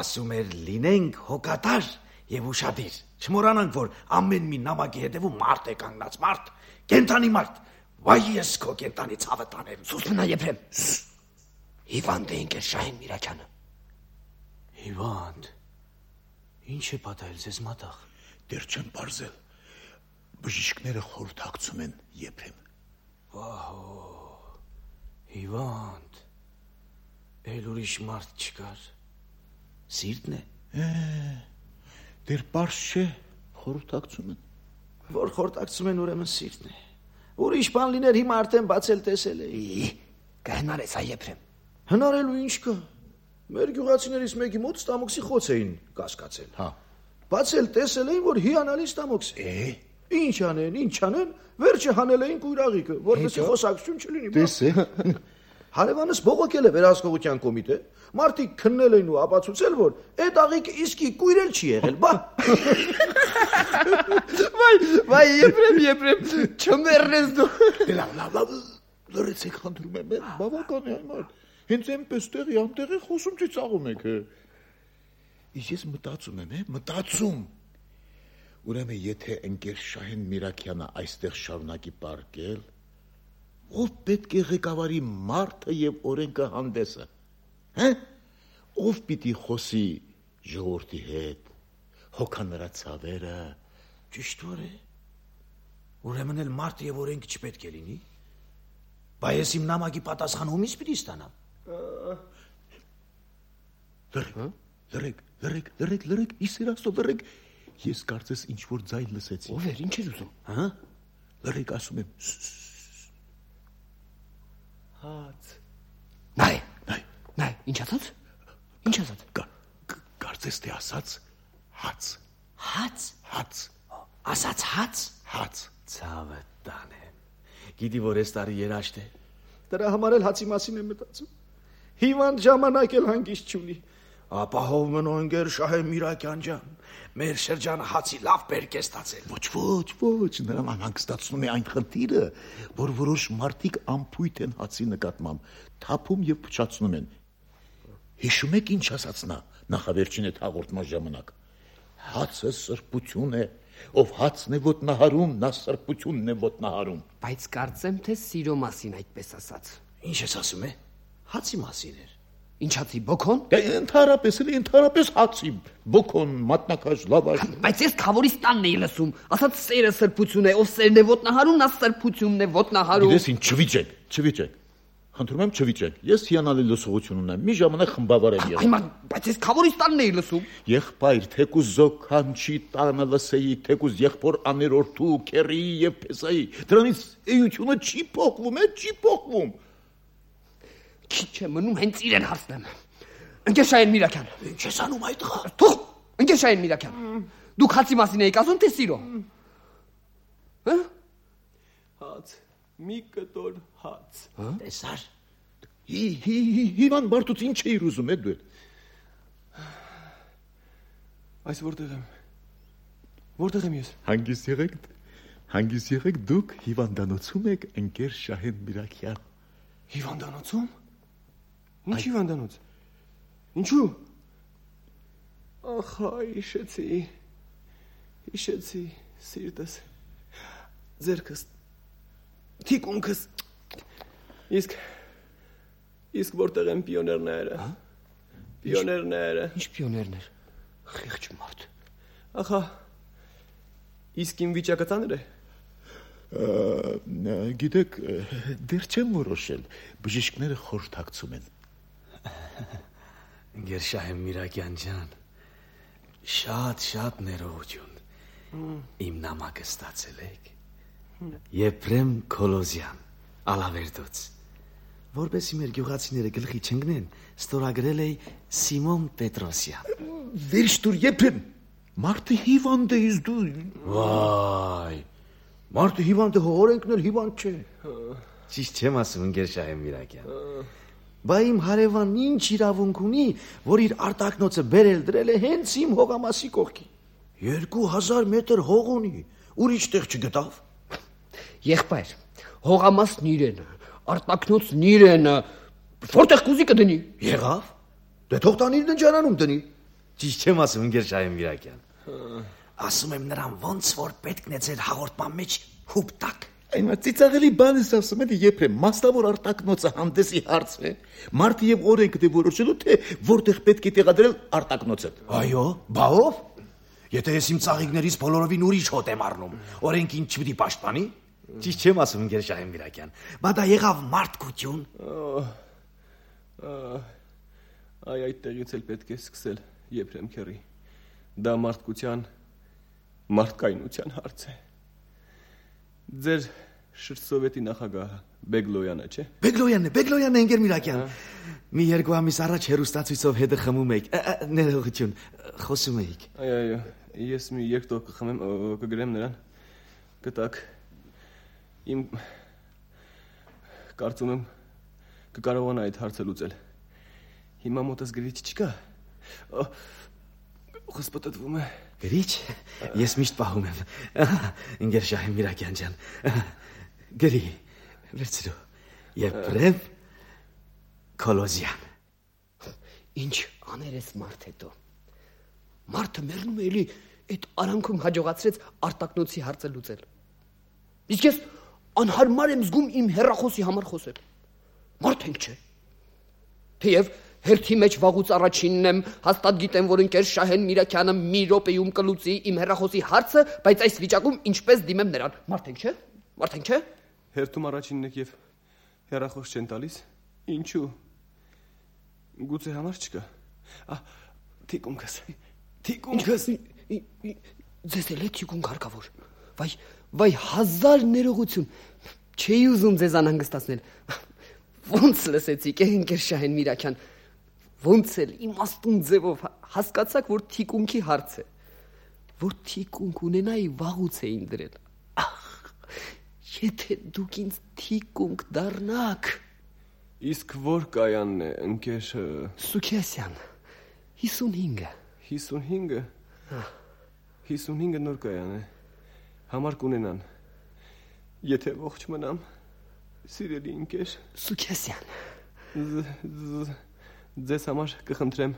Ասում էր լինենք հոգատար եւ ուշադիր։ Չմոռանանք, որ ամեն մի նամակի հետևում մարդ է կանգնած, մարդ, կենտանի մարդ։ Վայ ես քո կենտանի ցավը տանեմ։ Սուս մնա Եփրեմ։ Հիվանդ է ընկեր Շահեն Միրաքյանը։ Հիվանդ։ Ինչ է պատահել ձեզ մատաղ։ Դեռ չեն բարձել։ Բժիշկները խորհրդակցում են Եփրեմ։ Վահո։ Հիվանդ։ Էլ ուրիշ մարդ չկար։ Սիրտն է։ Դեռ բարձ չէ, խորհրդակցում են։ Որ խորհրդակցում են ուրեմն սիրտն է։ Ուրիշ բան լիներ հիմա արդեն բացել տեսել էի։ Կհնարես այ Եփրեմ։ Հնարելու ինչ կա։ Մեր գյուղացիներից մեկի մոտ ստամոքսի խոց էին կասկածել։ Հա։ Բացել տեսել էին, որ հիանալի ստամոքս է։ Ինչ անեն, վերջը հանել էին կույրաղիկը, որովհետեւ խոսակցություն չլինի։ Տեսե։ Հարևանս բողոքել է վերահսկողության կոմիտե, մարդիկ քննել են ու ապացուցել, որ այդ աղիկը իսկի կույրել չի եղել, բա։ Վայ Եփրեմ, չմեռնես դու։ Լավ, լրացեք խնդրում եմ, բավական է այմար։ Հենց այնպես տեղի անտեղի խոսում ծիծաղում եք։ Իսկ ես մտածում։ Ուրեմն եթե ընկեր Շահեն Միրաքյանը այստեղ շարունակի պարկել, ով պետք է ղեկավարի մարդը եւ օրենքը հանդեսը։ Հա՞։ Ով պիտի խոսի ժողովրդի հետ, հոգա նրա ցավերը։ Ճիշտ որ է։ Ուրեմն էլ մարդ եւ օրենք չպետք է լինի։ Բայց ես իմ նամակի պատասխանը ումից պիտի ստանամ։ Լրեք, իսերաստո լրեք։ Ես կարծես ինչ որ ձայն լսեցի։ Ով էր, ինչ էր ուզում։ Հա։ Լրեք ասում եմ։ Հաց։ Նայ, ինչ ասած։ Կարծես թե ասած հաց։ Ասած հաց։ Ցավը տանեմ։ Գիտի որ այս տարի երաշտ է։ Դրա համար էլ հացի մասին եմ մտածում։ Հիվանդ ժամանակ էլ հանգիստ չունի։ Ապահով մնո ընկեր Շահեն Միրաքյան ջան, մեր շրջանը հացի լավ բերք է ստացել։ Ոչ, նրան անհանգստացնում է այն խնդիրը, որ որոշ մարդիկ անփույթ են հացի նկատմամբ, թափում եւ փչացնում են։ Հիշում եք ինչ ասաց նա նախավերջին այդ հաղորդման ժամանակ։ Հացը սրբություն է, ով հացն է ոտնահարում, նա սրբությունն է ոտնահարում։ Բայց կարծեմ թե սիրո մասին այդպես ասաց։ Ինչ ես ասում է։ Հացի մասին էր։ Ինչ հացի, բոքոն։ Դե ընդհանրապես հացի, բոքոն, մատնաքաշ, լավաշ։ Բայց ես Խավորից տանն էի լսում, ասած սերը սրբություն է, ով սերն է ոտնահարում, նա սրբությունն է ոտնահարում։ Գիտես ինչ, չվիճեք։ Խնդրում եմ չվիճեք։ Ես հիանալի լսողություն ունեմ։ Մի ժամանակ խմբավար եմ եղել։ Հիմա, բայց ես Խավորից տանն էի լսում։ Եղբայր, թեկուզ զոքանչի տանը լսեի, թեկուզ եղբոր աներորդու, քերի եւ փեսայի։ Դրանից էությունը չի փոխվում։ Քիչ է մնում հենց իրեն հասնեմ։ Ընկեր Շահեն Միրաքյան։ Ինչ ես անում այդ տղա։ Թող, ընկեր Շահեն Միրաքյան։ Դուք հացի մասին եք ասում թե սիրո։ Հա՞։ Հաց, մի կտոր հաց։ Տեսար։ Հիվան Բարտուց ինչ էիր ուզում դու։ Այս որտեղ եմ ես։ Հանգիստ եղեք դուք հիվանդանոցում եք ընկեր Շահեն Միրաքյան։ Հիվանդանոցում։ Ինչ հիվանդանոց։ Ինչու։ Ախա, հիշեցի սիրտս, ձերքս, թիկունքս։ Իսկ որտեղ են պիոներները։ Պիոներները։ Ինչ պիոներներ։ Խիղճ մարդ։ Ախա, իսկ իմ վիճակը ծանր է։ Գիտեք, դեռ չեմ որոշել, բժիշկները խորհրդակցում են։ Ընկեր Շահեն Միրաքյան ջան, շատ ներողություն։ Իմ նամակը ստացել եք։ Եփրեմ Քոլոզյան, Ալավերդոց։ Որպեսի մեր գյուղացիները գլխի չընկնեն, ստորագրել է Սիմոն Պետրոսյան։ Վերջ դուր Եփրեմ, մարդը հիվանդ է իս դու։ Վայ, մարդը հիվանդ է, օրենքն էլ հիվանդ չէ։ Ճիշտ չեմ ասում, ընկեր Շահեն Միրակյան։ Բա իմ հարևանն ինչ իրավունք ունի, որ իր արտակնոցը բերել դրել է հենց իմ հողամասի կողքին։ 2000 մետր հող ունի, ուրիշ տեղ չգտավ։ Եղբայր, հողամասն իրենը, արտակնոցն իրենը, որտեղ կուզի կդնի։ Եղավ։ Դե թող տան իր ննջարանում դնի։ Ճիշտ չեմ ասում, ընկեր Շահեն Միրակյան։ Ասում եմ նրան ոնց որ պետքն է ձեր հաղորդման մեջ հուպ տակ։ Այնա ծիծաղելի բան ես ասում, էլի Եփրեմ, մասնավոր արտակնոցը հանդեսի հարց է։ Մարդը եւ օրենքը դե որոշելու թե որտեղ պետք է տեղադրել արտակնոցը։ Այո, բա ով։ Եթե ես իմ ծաղիկներից բոլորովին ուրիշ հոտ եմ առնում, օրենքին չպիտի պաշտպանի։ Ճիշտ չեմ ասում, ընկեր Շահեն Միրակյան։ Բա դա եղավ մարդկություն։ Այ այդտեղից էլ պետք է սկսել, Եփրեմ քերի։ Դա մարդկայնության հարց է։ Ձեր շրջսովետի նախագահը Բեգլոյանը, չէ՞։ Բեգլոյանն է, ընկեր Միրակյան։ Մի 2 ամիս առաջ հերոստացույցով հետը խմում եք։ Ներողություն, խոսում էիք։ Այո, ես մի երկտող կխմեմ, կգրեմ նրան։ Կտակ։ Իմ կարծում եմ կկարողանա այդ հարցը լուծել։ Հիմա մոտս գրիչ չկա։ Խոսպտտվում է։ Գրիչ։ Ես միշտ պահում եմ։ Ընկեր Շահեն Միրակյան ջան։ Գրի։ Վերցրու։ Եփրեմ Քոլոզյան։ Ինչ աներ ես մարդ հետո։ Մարդը մեռնում է էլի այդ արանքում հաջողացրեց արտակնոցի հարցը լուծել։ Իսկ ես անհարմար եմ զգում իմ հեռախոսի համար խոսել։ Մարդ ենք չէ։ Թեև հերթի մեջ վաղուց առաջինն եմ, հաստատ գիտեմ, որ ընկեր Շահեն Միրակյանը մի րոպեում կլուծի իմ հեռախոսի հարցը, բայց այս վիճակում ինչպես դիմեմ նրան։ Մարդ ենք չէ։ Մարդ ենք չէ։ Հերթում առաջինն եք եւ հեռախոս չեն տալիս։ Ինչու։ Գուցե համար չկա։ Թիկունքս։ Ձեզ էլ է թիկունք հարկավոր։ Վայ, հազար ներողություն։ Չէի ուզում ձեզ անհանգստացնել։ Ոնց լսեցիք, ընկեր Շահեն Միրակյան։ Ոնց էլ իմաստուն ձևով հասկացաք, որ թիկունքի հարց է։ Որ թիկունք ունենայի վաղուց էին դրել։ Եթե դուք ինձ թիկունք դառնաք։ Իսկ որ կայանն է, ընկեր Սուքիասյան, 55-ը։ 55-ը։ 55-ը նոր կայան է։ Համար կունենան։ Եթե ողջ մնամ, սիրելի ընկեր Սուքիասյան։ Ձեզ համար կխնդրեմ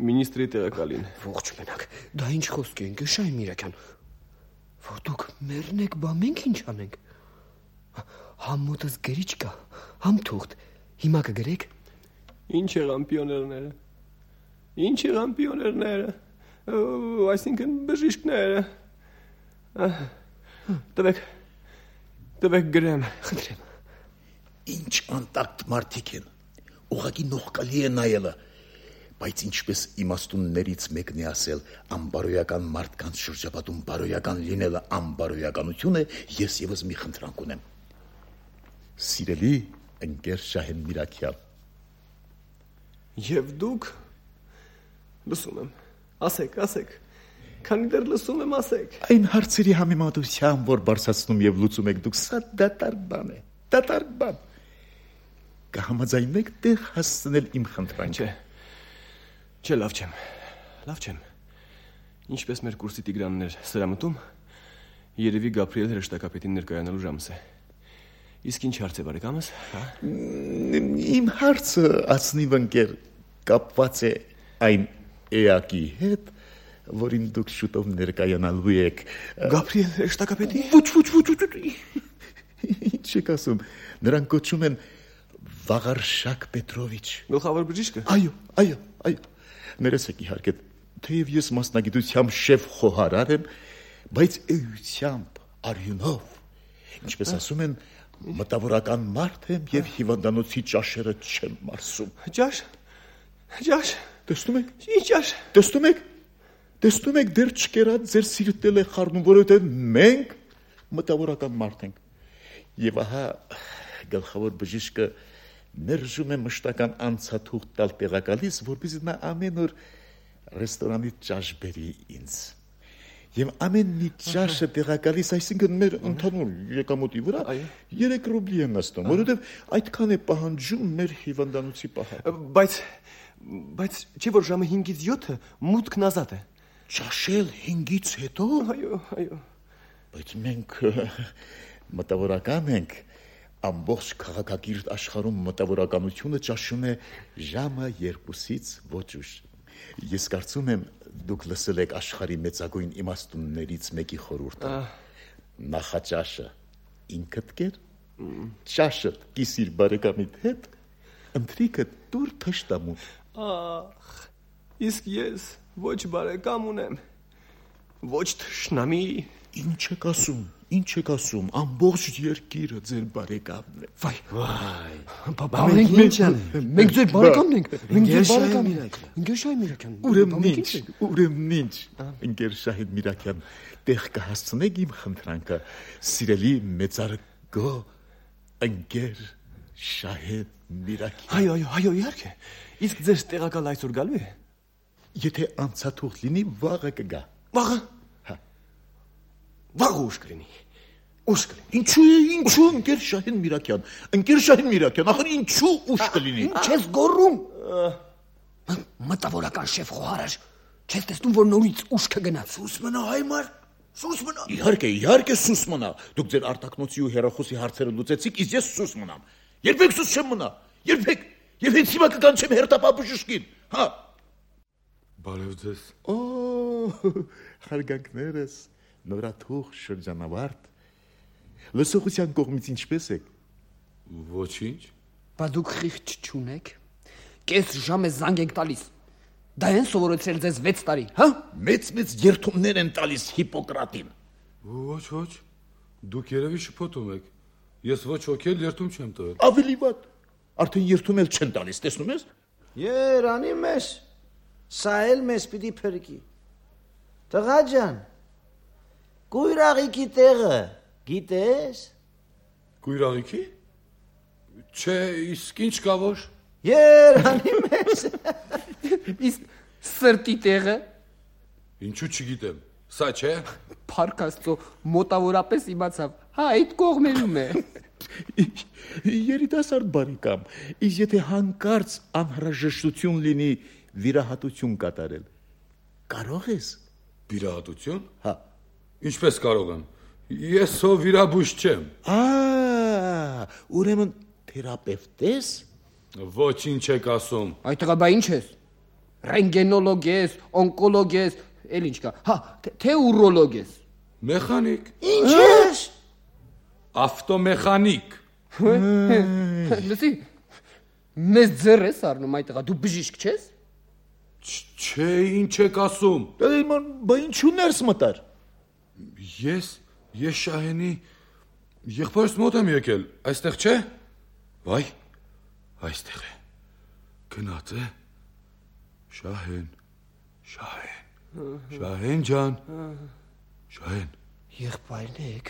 մինիստրի տեղակալին։ Ողջ մնաք։ Դա ինչ խոսք է, ընկեր Շահեն Միրակյան։ Որ դուք մեռնեք, բա մենք ինչ անենք։ Համ մոտս գրիչ կա, համ թուղթ։ Հիմա կգրեք։ Ինչ եղան պիոներները։ Այսինքն բժիշկները։ Տվեք գրեմ, խնդրեմ։ Ինչ անտակտ մարդիկ են, ուղղակի նողկալի է նայելը, բայց ինչպես իմաստուններից մեկն է ասել, անբարոյական մարդկանց շրջապատում բարոյական լինելը անբարոյականություն է, ես եւս մի խնդրանք ունեմ։ Սիրելի ընկեր Շահեն Միրակյան։ Եվ դուք լսում եմ, ասեք, քանի դեռ լսում եմ, ասեք։ Այն հարցերի համեմատությամբ, որ բարձրացնում եւ լուծում եք դուք, սա դատարկ բան է, դատարկ բան։ Կհամաձայնեք տեղ հասցնել իմ խնդրանքը։ Չէ, լավ չեմ։ Ինչպես մեր կուրսի Տիգրաններ սրամտում, երևի Գաբրիել հրեշտակապետին ներկայանալու ժամս է։ Իսկ ինչ հարց է բարեկամս, հա։ Իմ հարցը, ասնիվ ընկեր, կապված է այն էակի հետ, որին դուք շուտով ներկայանալու եք։ Գաբրիել հրեշտակապետի։ Ոչ։ Ինչ եք ասում, նրան կոչում են Վաղարշակ Պետրովիչ։ Գլխավոր բժիշկը։ Այո։ Ներեցեք իհարկե, թեև ես մասնագիտությամբ շեֆ խոհարար եմ, բայց էությամբ, արյունով, ինչպես ասում են, մտավորական մարդ եմ եւ հիվանդանոցի ճաշերը չեմ մարսում։ Ճաշ։ Տեսնում եք։ Ինչ ճաշ։ Տեսնում եք, դեռ չկերած ձեր սիրտել է խառնում, որովհետեւ մենք մտավորական մարդ ենք։ Եվ ահա գլխավոր բժիշկը մերժում է մշտական անցաթուղթ տալ տեղակալից, որպեսզի նա ամեն օր ռեստորանի ճաշ բերի ինձ։ Եվ ամեն մի ճաշը տեղակալից, այսինքն մեր ընդհանուր եկամուտի վրա 3 ռուբլի է նստում, որովհետև այդքան է պահանջում մեր հիվանդանոցի պահը։ Բայց չէ՞ որ ժամը 5-ից 7-ը մուտքն ազատ է։ Ճաշել 5-ից հետո։ Այո։ Բայց մենք մտավորական ենք, ամբողջ քաղաքակիրթ աշխարհում մտավորականությունը ճաշում է ժամը 2-ից ոչ ուշ։ Ես կարծում եմ դուք լսել եք աշխարհի մեծագույն իմաստուններից մեկի խորհուրդը։ Նախաճաշը ինքդ կեր, ճաշը կիսիր բարեկամիդ հետ, ընթրիքը դուր թշտամուտ։ Ախ, իսկ ես ոչ բարեկամ ունեմ, ոչ թշնամի։ Ինչ եք ասում, ամբողջ երկիրը ձեր բարեկամն է։ Վայ, բաբա, մենք ինչ անենք։ Մենք ձեր բարեկամն ենք։ Մենք ձեր բարեկամն ենք։ Ընկեր Շահին Միրաքյան։ Ուրեմն ինչ, ընկեր Շահին Միրաքյան, տեղ կհասցնեք իմ խնդրանքը, սիրելի մեծարգո ընկեր Շահին Միրաքյան։ Այո, իհարկե։ Իսկ ձեր տեղակալ այսօր գալու է։ Եթե անցաթուղթ լինի, վաղը կգա։ Վաղը։ Վաղ ուշ կլինի։ Ինչու ընկեր Շահին Միրաքյան, ախր ինչու ուշ կլինի։ Ինչ ես գոռում։ Մտավորական շեֆ խոհարար, չես տեսնում որ նորից ուշ կգնաց։ Սուս մնա հայմար, սուս մնա։ Իհարկե սուս մնա։ Դուք ձեր արտակնոցի ու հեռախոսի հարցերը լուծեցիք, իսկ ես սուս մնամ։ Երբեք սուս չեմ մնա։ Երբեք։ Եվ հենց հիմա կկանչեմ հերթապահ հա։ Բարև ձեզ։ Հարգանքներս, նորաթուղ շրջանավարտ։ Լսողության կողմից ինչպես եք։ Ոչինչ։ Բա դուք խիղճ չունեք։ Կես ժամ է զանգ եք տալիս։ Դա են սովորեցրել ձեզ 6 տարի, հա։ Մեծ երթումներ են տալիս Հիպոկրատին։ Ոչ։ Դուք երևի շփոթում եք։ Ես ոչ ոքի էլ երթում չեմ տվել։ Ավելի վատ։ Արդեն երթում էլ չեն տալիս, տեսնում ես։ Երանի մեզ։ Սա էլ մեզ պիտի փրկի։ Տղա ջան, Կույրաղիքի տեղը գիտես։ Կույրաղիքի։ Չէ, իսկ ինչ կա որ։ Երանի մեզ։ Իսկ սրտի տեղը։ Ինչու չգիտեմ։ Սա չէ։ Փառք Աստծո, մոտավորապես իմացավ։ Հա, այդ կողմերում է։ Երիտասարդ բարեկամ, իսկ եթե հանկարծ անհրաժեշտություն լինի վիրահատություն կատարել, կարող ես։ Վիրահատություն։ Հա։ Ինչպես կարող եմ։ Ես ով վիրաբույժ չեմ։ Ուրեմն թերապևտ ես։ Ոչինչ եք ասում։ Այդ տղա բա ինչ ես։ Ռենտգենոլոգ ես, օնկոլոգ ես, էլ ինչ կա։ Հա, թե ուրոլոգ ես։ Մեխանիկ։ Ինչ ես։ Ավտոմեխանիկ։ Լսի, մեզ ձեռ ես առնում այդ տղա, դու բժիշկ չես։ Չէ, ինչ եք ասում։ Բա ինչու ներս մտար։ Ես Շահենի եղբայրս մոտ եմ եկել, այստեղ չէ։ Վայ, այստեղ է։ Գնաց է։ Շահեն ջան։ Շահեն։ Եղբայրն եք։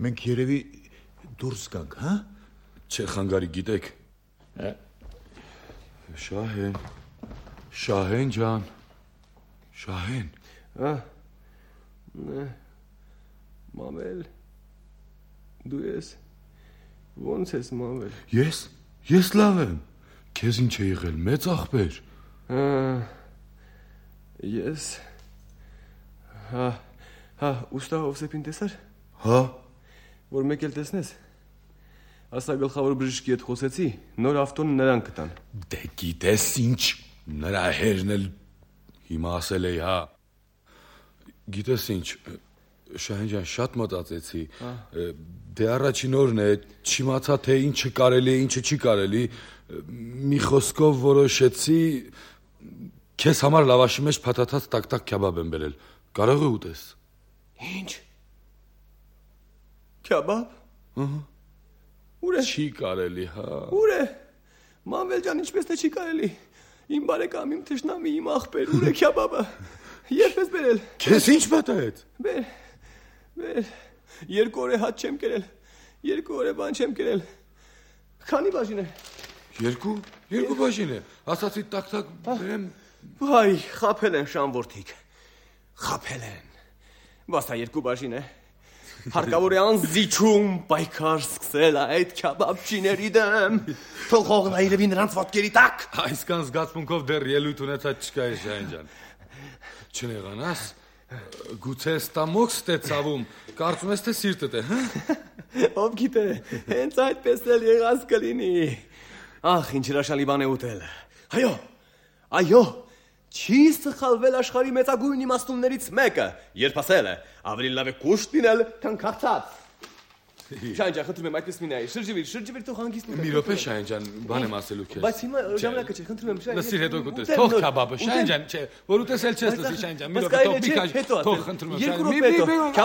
Մենք երևի դուրս գանք, հա։ Չէ, խանգարի գիտեք։ Շահեն ջան։ Շահեն։ Մամել, դու ես, ոնց ես մամել։ Ես լավ եմ, քեզ ինչ է եղել, մեծ աղբեր։ Ես, ուստա Հովսեփին տեսար։ Հա։ Որ մեկ էլ տեսնես, ասա գլխավոր բժշկի հետ խոսեցի, նոր ավտոն նրան կտան։ Դե գիտես ինչ, նրա հերն էլ հիմա ասել էի, հա։ Գիտես ինչ, Շահեն ջան, շատ մտածեցի, դե առաջին օրն է, չիմացա թե ինչը կարելի է, ինչը չի կարելի, մի խոսքով որոշեցի, քեզ համար լավաշի մեջ փաթաթած տակ-տակ քյաբաբ եմ բերել, կարող է ուտես։ Ինչ։ Քյաբաբ։ Ուր է։ Չի կարելի, հա։ Ուր է։ Մամվել ջան, ինչպես թե չի կարելի։ Իմ բարեկամ, իմ թշնամի, իմ աղբեր, ուր է քյաբաբը։ Երբ ես բերել։ Քեզ ինչ պատահեց։ 2 օր է հաց չեմ կերել։ 2 օր է բան չեմ կերել։ Քանի բաժին է։ 2 բաժին է։ Ասացի տակ բերեմ։ Վայ, խափել են շամորդիկ։ Խափել են։ Բասա 2 բաժին է։ Հարկավոր է անզիջում պայքար սկսել այդ քյաբաբչիների դեմ։ Թողողն այրևի նրանց ոտքերի տակ։ Այսքան զգացմունքով դեռ ելույթ ունեցած չկա է Շահեն ջան։ Չնեղանաս, գուցե ստամոքս թե ցավում, կարծում ես թե սիրտդ է, հա։ Ով գիտե, հենց այդպես էլ եղած կլինի։ Ախ, ինչ հրաշալի բան է ուտել։ Այո, չի սխալվել աշխարհի մեծագույն իմաստուններից մեկը, երբ ասել է, ավելի լավ է կուշտ լինել, քան քաղցած։ Շահեն ջան, խնդրում եմ այդպես մի նայ, շրջվիր թող հանգիստ լինի։ Մի րոպե Շահեն ջան, բան եմ ասելու քեզ։ Բայց հիմա ժամանակը չէ, խնդրում եմ Շահեն։ Լսիր հետո կուտես, թող քաբաբը, Շահեն ջան, չէ, որ ուտեսել չես լսի Շահեն ջան, մի րոպե թող մի քաշ, թող խնդրում եմ Շահեն։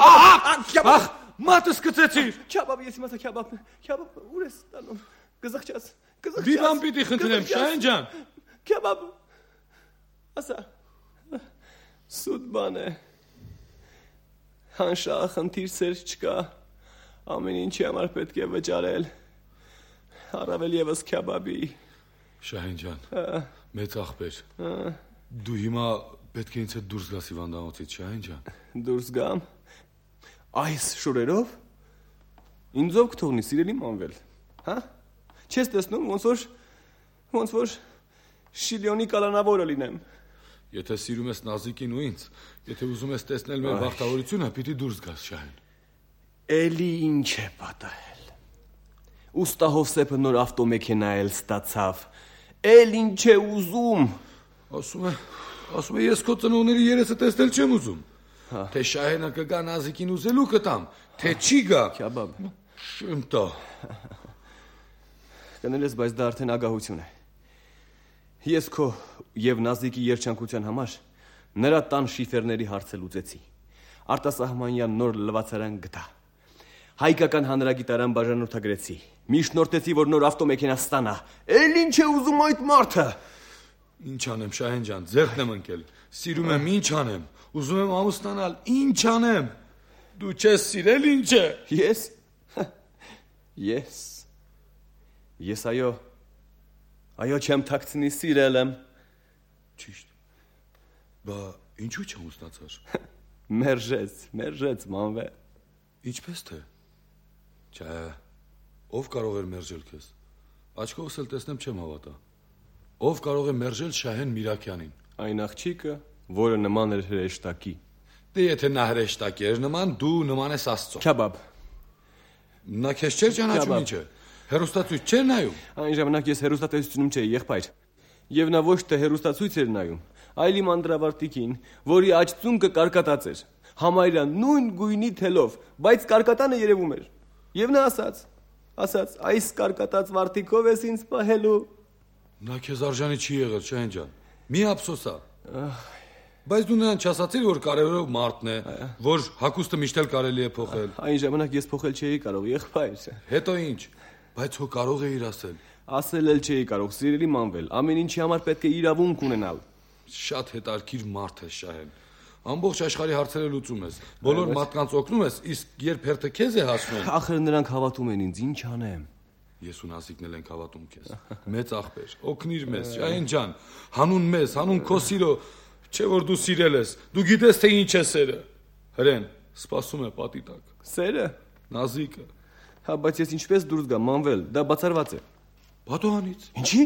Ահա, մատս գցեցիր։ Քյաբաբ, ես իմացա քյաբաբ ուր ես ստանում։ Գզղճած։ Բիբան պիտի խնդրեմ Շահեն ջան։ Քյաբաբ։ Ասա։ Սուտ բան է։ Հանշա խնդիր սեր չկա։ Ամեն ինչի համար պետք է վճարել։ Առավել եւս քյաբաբի։ Շահեն ջան, մեծ աղբեր։ Դու հիմա պետք է ինձ հետ դուրս գաս հիվանդանոցից, Շահեն ջան։ Դուրս գամ։ Այս շուրերով ինձով կթողնի սիրելի մանվել, հա? Չես տեսնում ոնց որ շիլիոնի կալանավորը լինեմ։ Եթե սիրում ես Նազիկին ու ինձ, եթե ուզում ես տեսնել մեր բախտավորությունը, պիտի դուրս գաս Շահեն։ Էլի ինչ է պատահել։ Ուստա Հովսեփը նոր ավտոմեքենա էլ ստացավ։ Էլ ինչ է ուզում։ Ասում է ես քո ծնողների երեսը տեսնել չեմ ուզում։ Թե Շահենը կգա Նազիկին ուզելու կտամ, թե չի գա։ Քյաբաբ։ Շմտա։ Կնել ես, բայց դա արդեն ագահություն է։ Ես քո եւ Նազիկի երջանկության համար նրա տան շիֆերների հարցը լուծեցի։ Արտասահմանյան նոր լվացարան գտա։ Հայկական հանրագիտարան բաժանորդագրեցի։ Միջնորդեցի, որ նոր ավտոմեքենա ստանա։ Էլ ինչ է ուզում այդ մարդը։ Ինչ անեմ, Շահեն ջան, ձեռքն եմ ընկել։ Սիրում եմ, ինչ անեմ։ Ուզում եմ ամուսնանալ, ինչ անեմ։ Դու չես սիրել, ինչ է։ Ես այո չեմ թաքցնի սիրել եմ։ Ճիշտ։ Բա ինչու չամուսնացար։ Մերժեց մանվե։ Ինչպես թե։ Չէ, ով կարող էր մերժել քեզ։ Աչքովս էլ տեսնեմ չեմ հավատա։ Ով կարող է մերժել Շահեն Միրաքյանին։ Այն աղջիկը, որը նման էր հրեշտակի։ Դե եթե նա հրեշտակ էր նման, դու նման ես Աստծո։ Քյաբաբ։ Նա քեզ չէր ճանաչում ինչ է։ Հերոստացույց չէր նայում։ Այն ժամանակ ես հերոստատեսությունում չէի, եղբայր։ Եվ նա ոչ թե հերոստացույց էր նայում, այլ իմ անդրավարտիկին, որի աչծունկը կարկատած էր։ Համարյա նույն գույնի թելով, բայց կարկատանը երևում էր։ Եվ նա ասաց, այս կարկատած վարտիկով ես ինձ պահելու։ Նա քեզ արժանի չի եղել, Շահեն ջան։ Մի ափսոսա։ Բայց դու նրան չասացիր, որ կարևորը մարդն է, որ հագուստը միշտ էլ կարելի է փոխել։ Այն ժամանակ ես փոխել չէի կարող, եղբայր։ Հետո ինչ։ Բայց հո կարող էիր ասել։ Ասել էլ չէի կարող, սիրելի մանվել, ամեն ինչի համար պետք է իրավունք ունենալ։ Շատ հետաքրքիր մարդ ես, Շահեն։ Ամբողջ աշխարհի հարցերը լուծում ես։ Բոլոր մարդկանց օգնում ես, իսկ երբ հերթը քեզ է հասնում։ Ախր նրանք հավատում են ինձ, ինչ անեմ։ Ես ու Նազիկն էլ ենք հավատում քեզ։ Մեծ աղբեր, օգնիր մեզ, Շահեն ջան։ Հանուն մեզ, հանուն քո սիրո, չէ որ դու սիրել ես։ Դու գիտես թե ինչ է սերը։ Հրեն, սպասում է պատի տակ։ Սերը։ Նազիկը։ Հա, բայց ես ինչպես դուրս գամ, մանվել, դա բացառված է։ Պատոհանից։ Ինչի։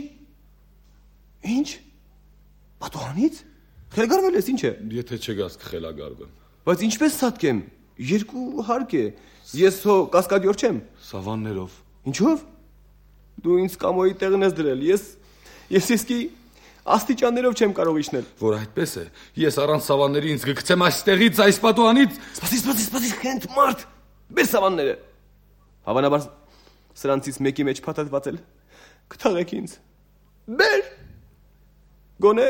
Ինչ։ Պատոհանից։ Խելագարվել ես, ինչ է։ Եթե չգաս կխելագարվեմ։ Բայց ինչպես սատկեմ։ 2 հարկ է։ Ես հո կասկադյոր չեմ։ Սավաններով։ Ինչով։ Դու ինձ կամոյի տեղն ես դրել։ Ես իսկի աստիճաններով չեմ կարող իջնել։ Որ այդպես է։ Ես առանց սավանների ինձ կգցեմ այստեղից, այս պատոհանից։ Սպասի, քենտ մարդ։ Բեր սավանները։ Հավանաբար սրանցից մեկի մեջ փաթաթված էլ կթաղեք ինձ։ Բեր։ Գոնե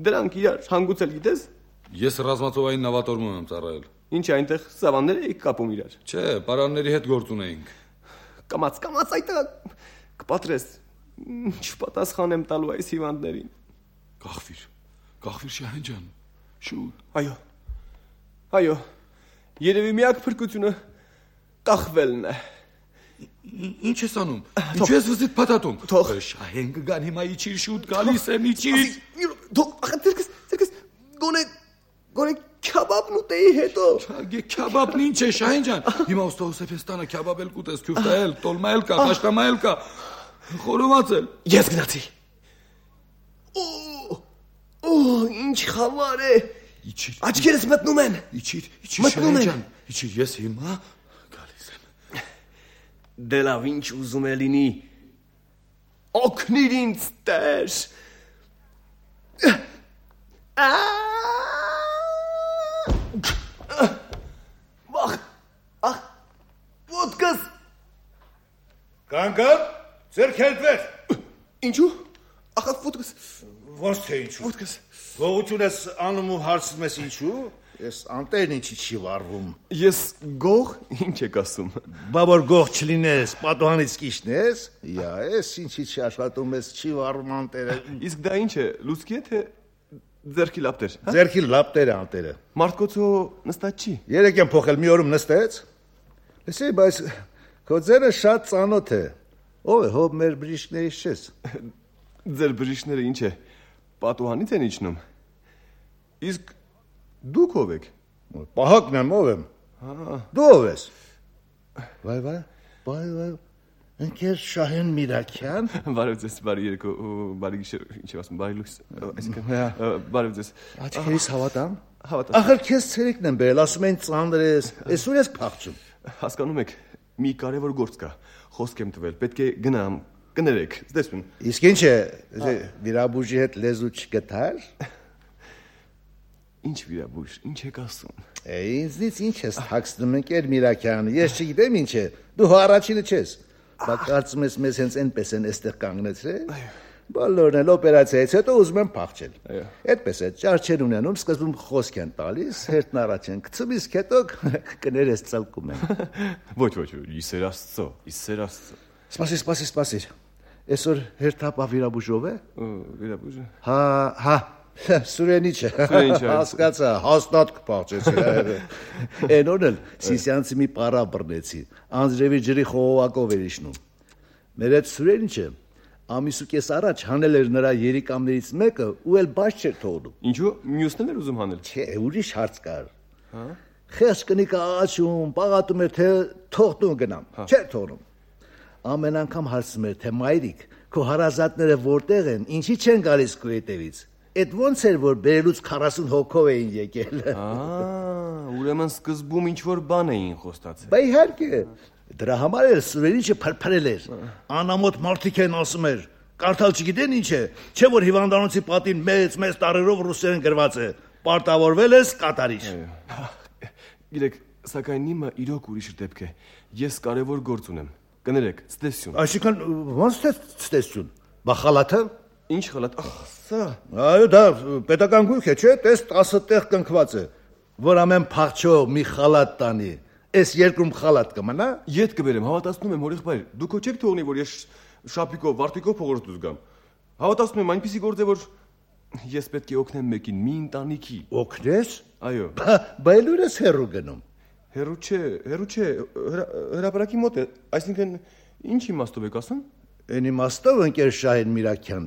դրանք իրար հանգուցել գիտես։ Ես ռազմածովային նավատորմում եմ ծառայել։ Ինչ այնտեղ սավաններ էիք կապում իրար։ Չէ, պարանների հետ գործ ունեինք։ Կամաց այդտեղ կպատրես։ Ինչ պատասխան եմ տալու այս հիվանդներին։ Կախվիր Շահեն ջան։ Շուտ։ Այո։ Երևի միակ փրկությունը կախվելն է։ Ինչ ես անում։ Ինչ ես վզիտ փաթաթում։ Թող Շահեն կգան հիմա իջիր շուտ գալիս եմ իջիր։ Թող ախր դերքս գոնե քյաբաբն ուտեի հետո։ Չագե քյաբաբն ինչ է Շահեն ջան։ Հիմա ուստոսեֆեստանը քյաբաբել կուտես քյուֆտայել, տոլմայել կա, կաշկամայել կա։ Խորովածել։ Ես գնացի։ Ինչ խավար է։ Իջիր։ Աչքերս մտնում են։ Իջիր Շահեն ջան։ Իջիր ես հիմա գալիս եմ։ Դե լավ ինչ ուզում է լինի։ Օգնիր ինձ Տեր։ Ոտքս։ Կանգապ, ձեր քերտվեր։ Ինչու։ Ախա ոտքս։ Ոնց թե ինչու։ Ոտքս։ Գողություն ես անում ու հարցնում ես ինչու։ Ես անտերն ինչի չի վարվում։ Ես գող, ինչ եք ասում։ Բա որ գող չլինես, պատուհանից կիշնես։ Յա, ես ինչի չի աշխատում ես, չի վարվում անտերը։ Իսկ դա ինչ է, լուցկի է թե ձերքի լապտեր։ Ձերքի լապտերը անտերը։ Մարդկոցո նստած չի։ Երեք եմ փոխել, մի օրում նստեց։ Լսի, բայց քո ձերը շատ ծանոթ է։ Ով է, հոբ մեր բժիշկներից չես։ Ձեր բժիշկները ինչ է, պատուհանից են իջնում։ Իսկ դուք ով եք։ Պահակն եմ, ով եմ։ Դու ով ես։ Վայ, ընկեր Շահեն Միրաքյան։ Բարև ձեզ, բարի երեկո, բարի գիշեր, ինչ եմ ասում, բարի լույս։ Այսինքն, բարև ձեզ։ Աչքերիս հավատամ։ Հավատամ։ Ախր քեզ ցերեկն եմ բերել, ասում են ծանր ես, այսօր ես փախչում։ Հասկանում եք, մի կարևոր գործ կա, խոսք եմ տվել, պետք է գնամ, կներեք, տեսնում։ Իսկ ինչ է, վիրաբույժի հետ լեզու չգտար։ Ինչ վիրաբույժ, ինչ եք ասում։ Ինձնից ինչ ես թաքցնում, ընկեր Միրաքյան, ես չգիտեմ ինչ է, դու առաջինը չես։ Բա կարծում ես մեզ հենց այնպես են այստեղ կանգնեցրել։ Բոլորն էլ օպերացիայից հետո ուզում են փախչել։ Այդպես է, ճարչեր ունենում, սկզբում խոսք են տալիս, հերթն առաջ են գցում, իսկ հետո կներես ծալկում են։ Ոչ, իսեր Աստծո։ Սպասիր։ Այսօր հերթապահ վիրաբույժով է։ Վիրաբույժը։ Հա, Սուրենիչը։ Հասկացա, հաստատ կփախչեցի։ Այն օրն էլ Սիսյանցի մի պարա բռնեցի, անձրևի ջրի խողովակով էր իջնում։ Մեր այդ Սուրենիչը ամիսու կես առաջ հանել էր նրա երիկամներից մեկը ու էլ բաց չէր թողնում։ Ինչու՞, մյուսն էր ուզում հանել։ Չէ, ուրիշ հարց կար։ Խեղճ կնիկը աղաչում, պաղատում էր, թե թող տուն գնամ։ Չէր թողնում։ Ամեն անգամ հարցում էր, թե մայրիկ, քո հարազատները որտեղ են, ինչի չեն գալիս քո հետևից։ Այդ ոնց էր, որ բերելուց 40 հոգով էին եկել։ Ուրեմն սկզբում ինչ-որ բան էին խոստացել։ Բա իհարկե, դրա համար էլ Սուրենիչը փրփրել էր։ Անամոթ մարդիկ են ասում էր, կարդալ չգիտեն ինչ է, չէ որ հիվանդանոցի պատին մեծ տառերով ռուսերեն գրված է, պարտավորվել ես կատարիչ։ Գիտեք, սակայն իմը իրոք ուրիշ դեպք է։ Ես կարևոր գործ ունեմ։ Կներեք, ցտեսություն։ Այսինքն ոնց թե ցտեսություն։ Բա խալաթը։ Ինչ խալաթ։ Սա։ Այո, դա պետական գույք է, չէ՞, տես 10 տեղ կնքված է, որ ամեն փախչո մի խալաթ տանի։ Այս երկրում խալաթ կմնա։ Ետ կբերեմ, հավատացնում եմ, հորեղբայր, դուք չեք թողնի, որ ես շապիկով, վարտիկով փողոց դուրս գամ։ Հավատացնում եմ, այնպեսի գործ է, որ ես պետք է օգնեմ մեկին, մի ընտանիքի։ Օգնես։ Այո։ Բա էլ ուրես հերու գնում։ Հերու չէ, հրապարակի մոտ է, այսինքն ինչ իմաստով եք ասում։ Այն իմաստով ընկեր Շահեն Միրաքյան,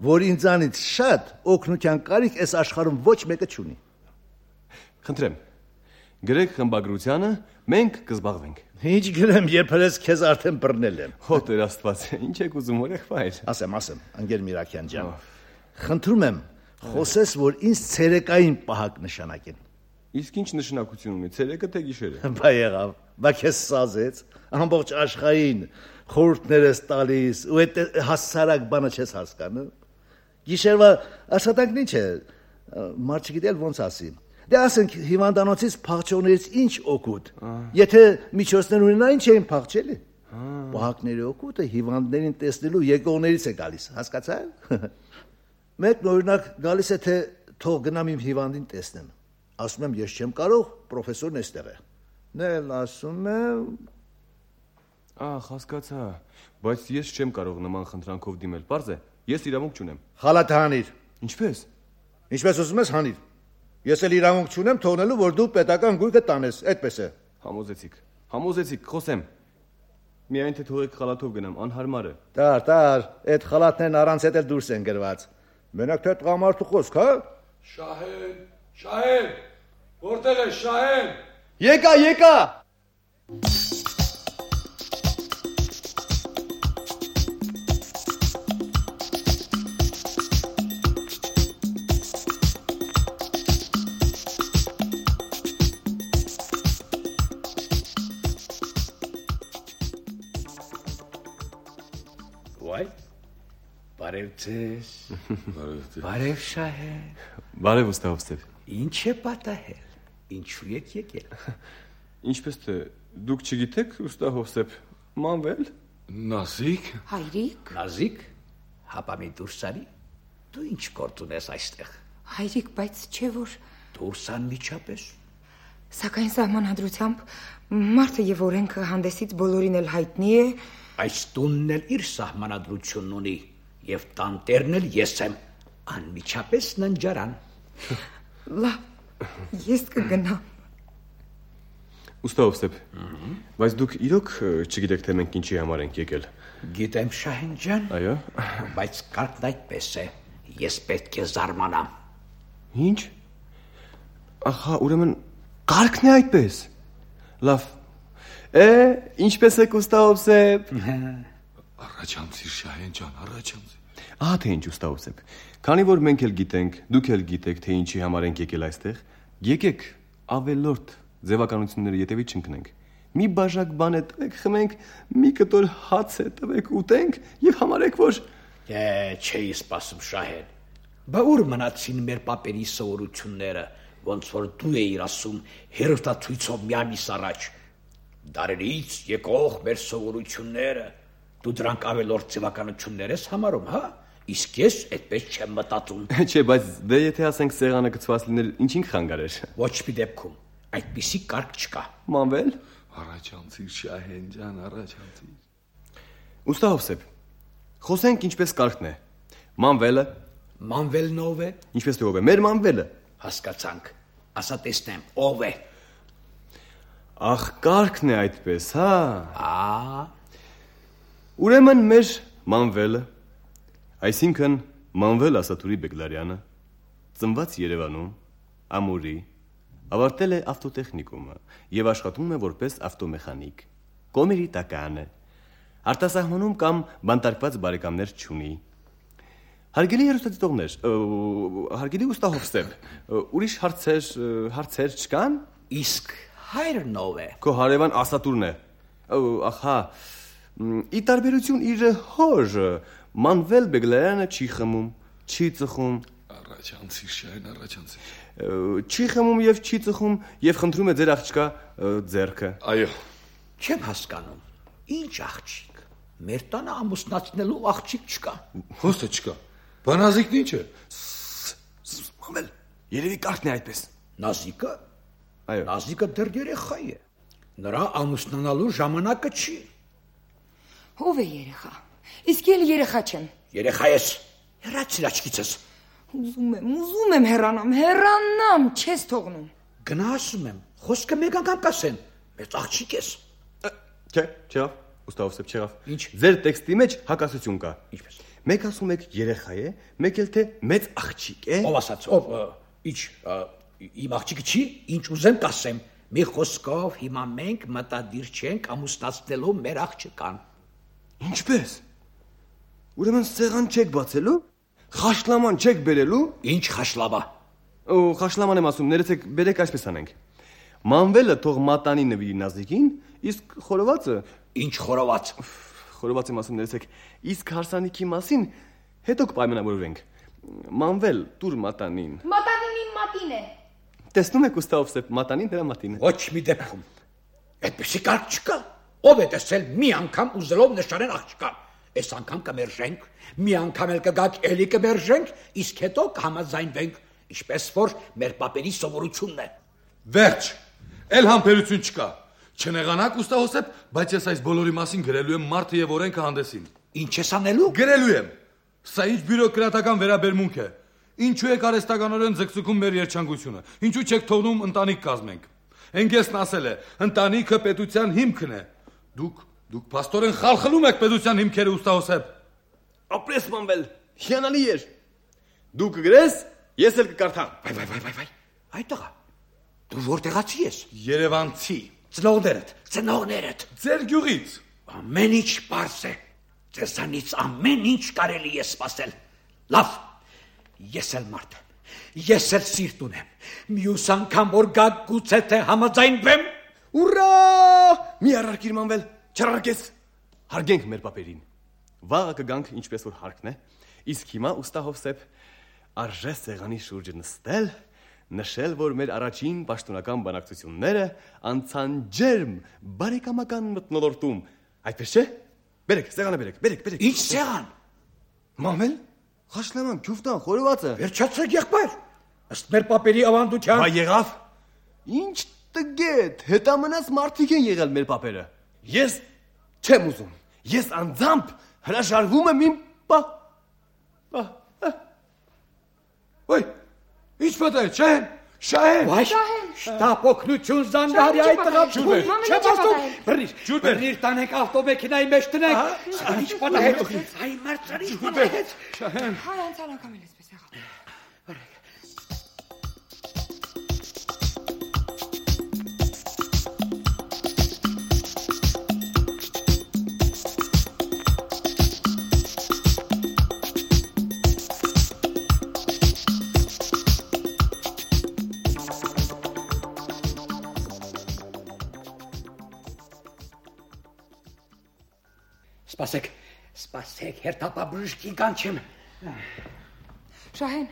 որ ինձանից շատ օգնության կարիք այս աշխարհում ոչ մեկը չունի։ Խնդրեմ, գրեք խմբագրությանը, մենք կզբաղվենք։ Ինչ գրեմ, երբ հենց քեզ արդեն բռնել եմ։ Հո Տեր Աստված, ինչ եք ուզում, եղբայր։ Ասեմ, ընկեր Միրաքյան ջան։ Խնդրում եմ, խոսես, որ ինձ ցերեկային պահակ նշանակեն։ Իսկ ինչ նշանակություն ունի, ցերեկը թե գիշերը։ Բա եղավ, բա քեզ սազեց, ամբողջ աշխարհին խորհուրդներս տալիս, ու այդ հասարակ բանը չես հասկանում։ Գիշերվա աշխատանքն ինչ է, մարդ չգիտել ոնց ասի։ Դե ասենք հիվանդանոցից փախչողներից ինչ օգուտ։ Եթե միջոցներ ունենա, ինչ էին փախչելի։ Պահակների օգուտը հիվանդներին տեսնելու եկողներից է գալիս, հասկացա՞ր։ Մեկն օրինակ գալիս է թե թող գնամ իմ հիվանդին տեսնեմ։ Ասում եմ ես չեմ կարող, պրոֆեսորն էստեղ է։ Նელ ասում եմ հասկացա, բայց ես չեմ կարող նման խնդրանքով դիմել, պարզ է, ես իրավունք չունեմ։ Խալաթը հանիր։ Ինչպես։ Ինչպես ուզում ես հանիր։ Ես էլ իրավունք չունեմ թողնելու, որ դու պետական գույքը տանես, այդպես է։ Համոզեցիք, խոսեմ։ Միայն թե թողեք խալաթով գնամ, անհարմար է։ Տար, այդ խալաթներն առանց հետ էլ դուրս են գրված։ Մենակ թե տղամարդու խոսք, հա։ Շահեն, որտեղ է Շահեն։ Եկա։ Բարև ձեզ։ Բարև Շահեն։ Բարև Ուստահովսեփ։ Ինչ է պատահել։ Ինչու եք եկել։ Ինչպես թե դուք չգիտեք Ուստահովսեփ, Մանվել։ Նազիկ։ Հայրիկ։ Նազիկ, հապա մի դուրս արի։ Դու ինչ գործ ունես այստեղ։ Հայրիկ, բայց չէ որ դուրս անմիջապես։ Սակայն սահմանադրությամբ մարդը եւ օրենքը հանդեսից բոլորին էլ հայտնի է։ Այս տունն էլ իր սահմանադրությունն ունի։ Եվ տանտերն էլ ես եմ, անմիջապես ննջարան։ Լավ, ես կգնամ։ Ուստահովսեփ, բայց դուք իրոք չգիտեք թե մենք ինչի համար ենք եկել։ Գիտեմ Շահեն ջան։ Այո։ Բայց կարգն այդպես է, ես պետք է զարմանամ։ Ինչ։ Ահա, ուրեմն կարգն է այդպես։ Լավ։ Ինչպես եք Ուստահովսեփ։ Առաջանցիր Շահեն ջան, առաջանցիր։ Ահա թե ինչ Ուստահովսեփ։ Քանի որ մենք էլ գիտենք, դուք էլ գիտեք թե ինչի համար ենք եկել այստեղ, եկեք ավելորդ ձևականությունները յետևից չընկնենք։ Մի բաժակ բան է տվեք, խմենք, մի կտոր հաց է տվեք, ուտենք եւ համարեք որ չէի սպասում Շահեն։ Բա ուր մնացին մեր պապերի սովորությունները, ոնց որ դու էիր ասում հերոստացույցով մի ամիս առաջ։ Դարերից եկող մեր սովորությունները Դու դրանք ավելորդ ձևականություններ ես համարում, հա? Իսկ ես այդպես չեմ մտածում։ Չէ, բայց դե եթե ասենք սեղանը գծված լիներ, ինչին կխանգարեր։ Ոչ մի դեպքում, այդպիսի կարգ չկա։ Մանվել։ Առաջանցիր Շահեն ջան, առաջանցիր։ Ուստահովսեփ, խոսենք ինչպես կարգն է։ Մանվելը։ Մանվելն ով է։ Ինչպես թե ով է, մեր մանվելը։ Հասկացանք։ Ասա տեսնեմ, ով է։ Ախ, կարգն է այդպես, հա։ Ուրեմն մեր Մանվելը, այսինքն Մանվել Ասատուրի Բեգլարյանը, ծնված Երևանում, Ամուրի, ավարտել է ավտոտեխնիկումը եւ աշխատում է որպես ավտոմեխանիկ։ Կոմերի տական է։ Արտասահմանում կամ բանտարկված բարեկամներ չունի։ Հարգելի հերոստատիտողներ, հարգելի Ուստահովսեփ, ուրիշ հարցեր չկան։ Իսկ հայրն ով է։ Քո հարևան Ասատուրն է։ Ահա Ի տարբերություն իր հոր Մանվել Բեգլարյանը չի խմում, չի ծխում։ Առաջանցիր Շահեն, առաջանցիր։ Չի խմում եւ չի ծխում եւ խնդրում է ձեր աղջկա ձեռքը։ Այո։ Չեմ հասկանում։ Ինչ աղջիկ։ Մեր տանը ամուսնացնելու աղջիկ չկա։ Ո՞նց է չկա։ Բանազիկն ինչ է։ Մանվել, երևի կարգն է այդպես։ Նազիկը։ Այո։ Նազիկը դեռ երեխա է։ Նրա ամուսնանալու ժամանակը չի։ Ով է երեխա։ Իսկ էլ երեխա չեմ։ Երեխա ես։ Հեռացիր աչքիցս։ Ուզում եմ հեռանամ, չես թողնում։ Գնա ասում եմ, խոսքը մեկ անգամ կասեն։ Մեծ աղջիկ ես։ Չէ, Ուստահովսեփ չեղավ։ Ինչ։ Ձեր տեքստի մեջ հակասություն կա։ Ինչպես։ Մեկ ասում եք երեխա է, մեկ էլ թե մեծ աղջիկ է։ Ով ասաց, ով, ինչ, իմ աղջիկը չի, ինչ ուզեմ կասեմ։ Մի խոսքով հիմա մենք մտադիր չենք ամուսնացնելու մեր աղջկան։ Ինչպես։ Ուրեմն սեղան չեք բացելու, խաշլաման չեք բերելու։ Ինչ խաշլավա։ Խաշլաման եմ ասում, ներեցեք, բերեք այսպես անենք։ Մանվելը թող մատանի նվիրի Նազիկին, իսկ խորովածը։ Ինչ խորոված։ Խորոված եմ ասում, ներեցեք, իսկ հարսանիքի մասին հետո կպայմանավորվենք։ Մանվել, տուր մատանին։ Մատանին իմ մատին է։ Տեսնում եք Ուստահովսեփ, մատանին նրա մատին է։ Ոչ մի դեպքում։ Այդպեսի կարգ չկա։ Ով է տեսել մի անգամ ուզելով նշանեն աղջկան։ Այս անգամ կմերժենք, մի անգամ էլ կգաք էլի կմերժենք, իսկ հետո կհամաձայնվենք, ինչպես որ մեր պապերի սովորությունն է։ Վերջ, էլ համբերություն չկա։ Չնեղանաք Ուստահովսեփ, բայց ես այս բոլորի մասին գրելու եմ մարդը եւ օրենքը հանդեսին։ Ինչ ես անելու։ Գրելու եմ։ Սա ինչ բյուրոկրատական վերաբերմունք է։ Ինչու եք արհեստականորեն ձգձգում մեր երջանկությունը։ Ինչու չեք թողնում ընտանիք կազմենք։ Հենգեսն ասել է, ընտանիքը պետության հիմքն է։ Դուք փաստորեն խալխլում եք պետության հիմքերը, ուստա Հոսեփ։ Ապրես մանվել, հիանալի էր։ Դու կգրես, ես էլ կկարդամ։ Վայ, այդ տղա, դու որտեղացի ես։ Երևանցի։ Ծնողներդ։ Ձեր գյուղից։ Ամեն ինչ պարզ է։ Ձեզանից ամեն ինչ կարելի է սպասել։ Լավ, ես էլ մարդ եմ, ես էլ սիրտ ունեմ։ Մյուս անգամ որ գաք գուցե թե համաձայնվեմ։ Ուրա! Մի առարկիր մանվել, չարարկես։ Հարգենք մեր պապերին։ Վաղը կգանք ինչպես որ հարկն է, իսկ հիմա ուստա Հովսեփ արժե սեղանի շուրջը նստել, նշել, որ մեր առաջին պաշտոնական բանակցությունները անցան ջերմ, բարեկամական մթնոլորտում։ Այդպես չէ։ Բերեք, սեղանը բերեք։ Ինչ սեղան։ Մանվել, խաշլաման, քյուֆտան, խորովածը։ Վերջացրեք եղբայր։ Ըստ մեր պապերի ավանդության։ Բա եղավ։ Ինչ տգետ, հետամնաց մարդիկ են եղել մեր պապերը։ Ես չեմ ուզում։ Ես անձամբ հրաժարվում եմ իմ Ոյ, ինչ պատահեց, Շահեն։ Վայ, շտապ օգնություն զանգարի այդ տղա։ Բռնիր տանեք ավտոմեքենայի մեջ տնեք։ Ինչ պատահեց։ Այ մարդ, ինչ պատահեց։ Շահեն։ Հայ անցանակամ էլ էսպես եղավ։ Սպասեք, հերթապաբժշկի կանչեմ։ Շահեն,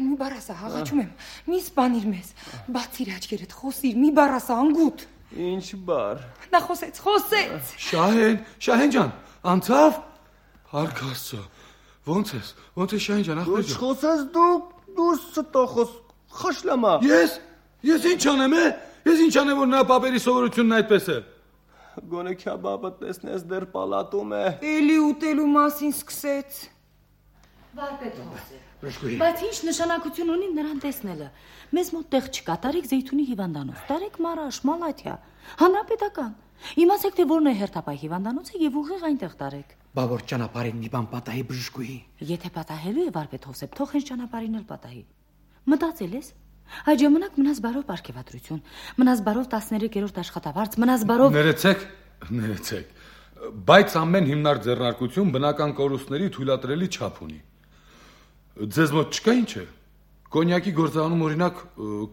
մի բառ ասա, հաղաչում եմ։ Մի սպանիր մեզ։ Բացիր աչքերդ, խոսիր, մի բառ ասա, անգութ։ Ինչ բառ։ Նա խոսեց։ Շահեն ջան, անցավ։ Փառք Աստծո։ Ոնց ես Շահեն ջան, ախպեր ջան։ Խոսես դու ստոխոս, խաշլամա։ Ես ինչ անեմ, Ես ինչ անեմ, որ նա պապերի սովորությունն այդպես է։ Գոնե քյաբաբը տեսնես դեռ պալատում է։ Էլի ուտելու մասին սկսեց։ Վարպետ Հոսեփ։ Բայց ինչ նշանակություն ունի նրան տեսնելը։ Մեզ մոտ տեղ չկա, տարեք Զեյթունի հիվանդանոց, տարեք Մարաշ, Մալաթիա, հանրապետական։ Իմացեք, թե որն է հերթապահ հիվանդանոցը եւ ուղիղ այնտեղ տարեք։ Բա որ ճանապարհին մի բան պատահի բժշկուհի։ Եթե պատահելու է Վարպետ Հոսեփ, թող հենց ճանապարհին էլ պատահի։ Մտածել ես։ Այդ ժամանակ մնաս բարով պարգևատրություն, մնաս բարով 13-րդ աշխատավարձ, մնաս բարով։ Ներեցեք։ Բայց ամեն հիմնարկ ձեռնարկություն բնական կորուստների թույլատրելի չափ ունի։ Ձեզ մոտ չկա ինչ է։ Կոնյակի գործանում օրինակ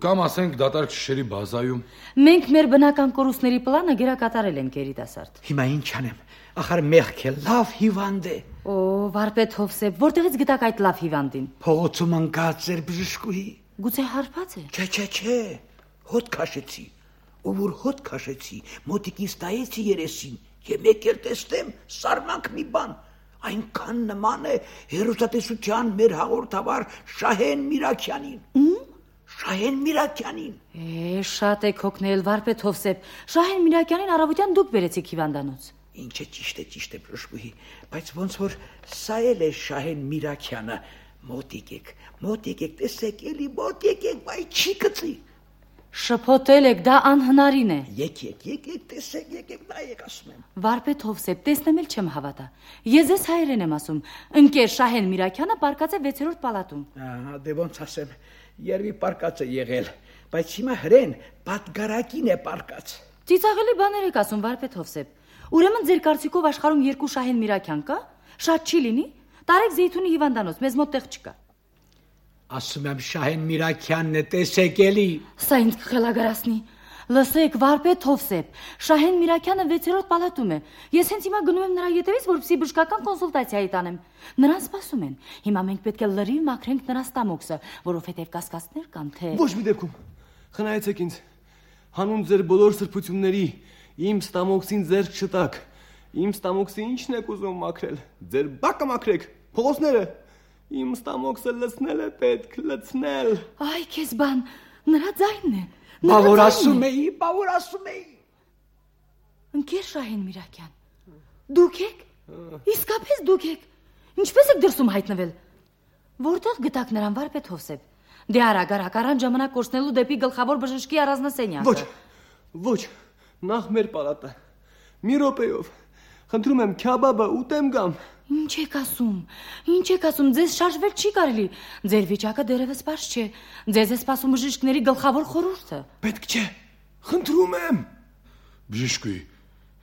կամ ասենք դատարկ շշերի բազայում։ Մենք մեր բնական կորուստների պլանը գերակատարել ենք երիտասարդ։ Հիմա ինչ անեմ։ Ախր մեղք է, լավ հիվանդ է։ Օ, Վարպետ Հովսեփ, որտեղից գտաք այդ լավ հիվանդին։ Փողոցում ընկած էր բժշկուհի։ Գուցե հարբած է։ Չէ, հոտ քաշեցի։ Ով որ հոտ քաշեցի, մոտիկից տայեցի երեսին, եւ մեկ էլ տեսնեմ սարմանք մի բան։ Այնքան նման է հերոսատեսության մեր հաղորդավար Շահեն Միրաքյանին։ Շահեն Միրաքյանին։ Շատ եք հոգնել, Վարպետ Հովսեփ։ Շահեն Միրաքյանին առավոտյան դուք բերեցիք հիվանդանոց։ Ինչը ճիշտ է բժշկուհի, բայց ոնց որ սա էլ է Շահեն Միրաքյանը։ Մոտիկ եք, տեսեք, էլի մոտիկ եք, բայց չի գցի։ Շփոթել եք, դա անհնարին է։ Եկեք, տեսեք, նայեք, ասում եմ։ Վարպետ Հովսեփ, տեսնեմ էլ չեմ հավատա։ Ես ձեզ հայերեն եմ ասում։ Ընկեր Շահեն Միրաքյանը պարկած է 6-րդ պալատում։ Ահա, դե ոնց ասեմ, երևի պարկած է եղել, բայց հիմա հրեն պատգարակին է պարկած։ Ծիծաղելի բաներ եք ասում, Վարպետ Հովսեփ։ Ուրեմն ձեր կարծիքով աշխարհում 2 Շահեն Միրաքյան կա։ Շատ չի լինի։ Տարեք Զեյթունի հիվանդանոց, մեզ մոտ տեղ չկա։ Ասում եմ Շահեն Միրաքյանն է, տեսեք էլի։ Սա ինձ կխելագարացնի։ Լսեք, Վարպետ Հովսեփ, Շահեն Միրաքյանը 6-րդ պալատում է։ Ես հենց հիմա գնում եմ նրա ետևից, որպեսզի բժշկական կոնսուլտացիայի տանեմ։ Նրան սպասում են։ Հիմա մենք պետք է լրիվ մաքրենք նրա ստամոքսը, որովհետև կասկածներ կան, թե… Ոչ մի դեպքում։ Խնայեցեք ինձ։ Հանուն ձեր բոլոր սրբությունների, իմ ստամոքսին ձեռք չտաք։ Իմ ստամոքսը ինչն եք ուզում մաքրել։ Ձեր բակը մաքրեք, փողոցները։ Իմ ստամոքսը լցնել է պետք, լցնել։ Այ քեզ բան, նրա ձայնն է։ Բա որ ասում էի։ Ընկեր Շահեն Միրաքյան, դուք եք։ Իսկապես դուք եք։ Ինչպես եք դրսում հայտնվել։ Որտեղ գտաք նրան վարպետ Հովսեփ։ Դե արագ առան ժամանակ կորցնելու դեպի գլխավոր բժշկի առանձնասենյակը։ Ոչ, նախ մեր պալատը։ Մի րոպեով։ Խնդրում եմ քյաբաբը ուտեմ գամ։ Ինչ եք ասում, ձեզ շարժվել չի կարելի։ Ձեր վիճակը դեռևս պարզ չէ։ Ձեզ է սպասում բժիշկների գլխավոր խորհուրդը։ Պետք չէ։ Խնդրում եմ։ Բժիշկուի,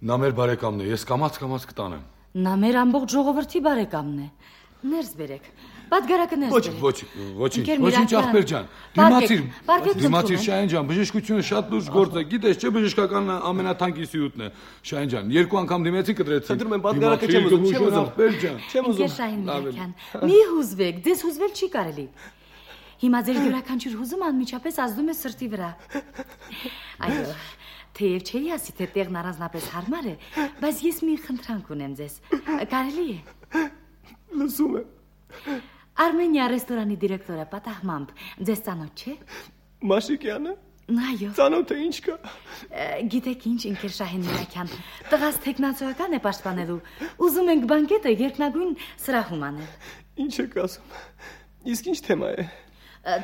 նա մեր բարեկամն է, ես կամաց կտանեմ։ Նա մեր ամբողջ ժողովրդի բարեկամն է։ Ներս բերեք։ Պատգարակը ներս բերեք։ Ոչինչ ախպեր ջան։ Դիմացիր Շահեն ջան, բժշկությունը շատ լուրջ գործ է, գիտես չէ, բժշկականն ամենաթանկի սյուտն է։ Շահեն ջան, 2 անգամ դիմեցի կտրեցի։ Խնդրում եմ, պատգարակը չեմ ուզում, ախպեր ջան։ Չեմ ուզում։ Շահեն Միրաքյան, մի հուզվեք, ձեզ հուզվել չի կարելի։ Հիմա ձեր յուրաքանչյուր հուզում անմիջապես ազդում է սրտի վրա։ Այո, թեև չէի ասի, թե տեղն առանձնապես հարմար է, բայց ես մի խնդրանք ունեմ ձեզ։ Կարելի է։ Լսում եմ։ Արմենիա ռեստորանի դիրեկտորը պատահմամբ ձեզ ծանոթ չէ։ Մաշիկյանը։ Այո։ Ծանոթ է, ինչ կա։ Գիտեք ինչ, ինքեր Շահեն Միրաքյան, տղաս տեխնացիական է պաշտպանելու։ Ուզում ենք բանկետը երկնագույն սրահում անել։ Ինչ եք ասում։ Իսկ ինչ թեմա է։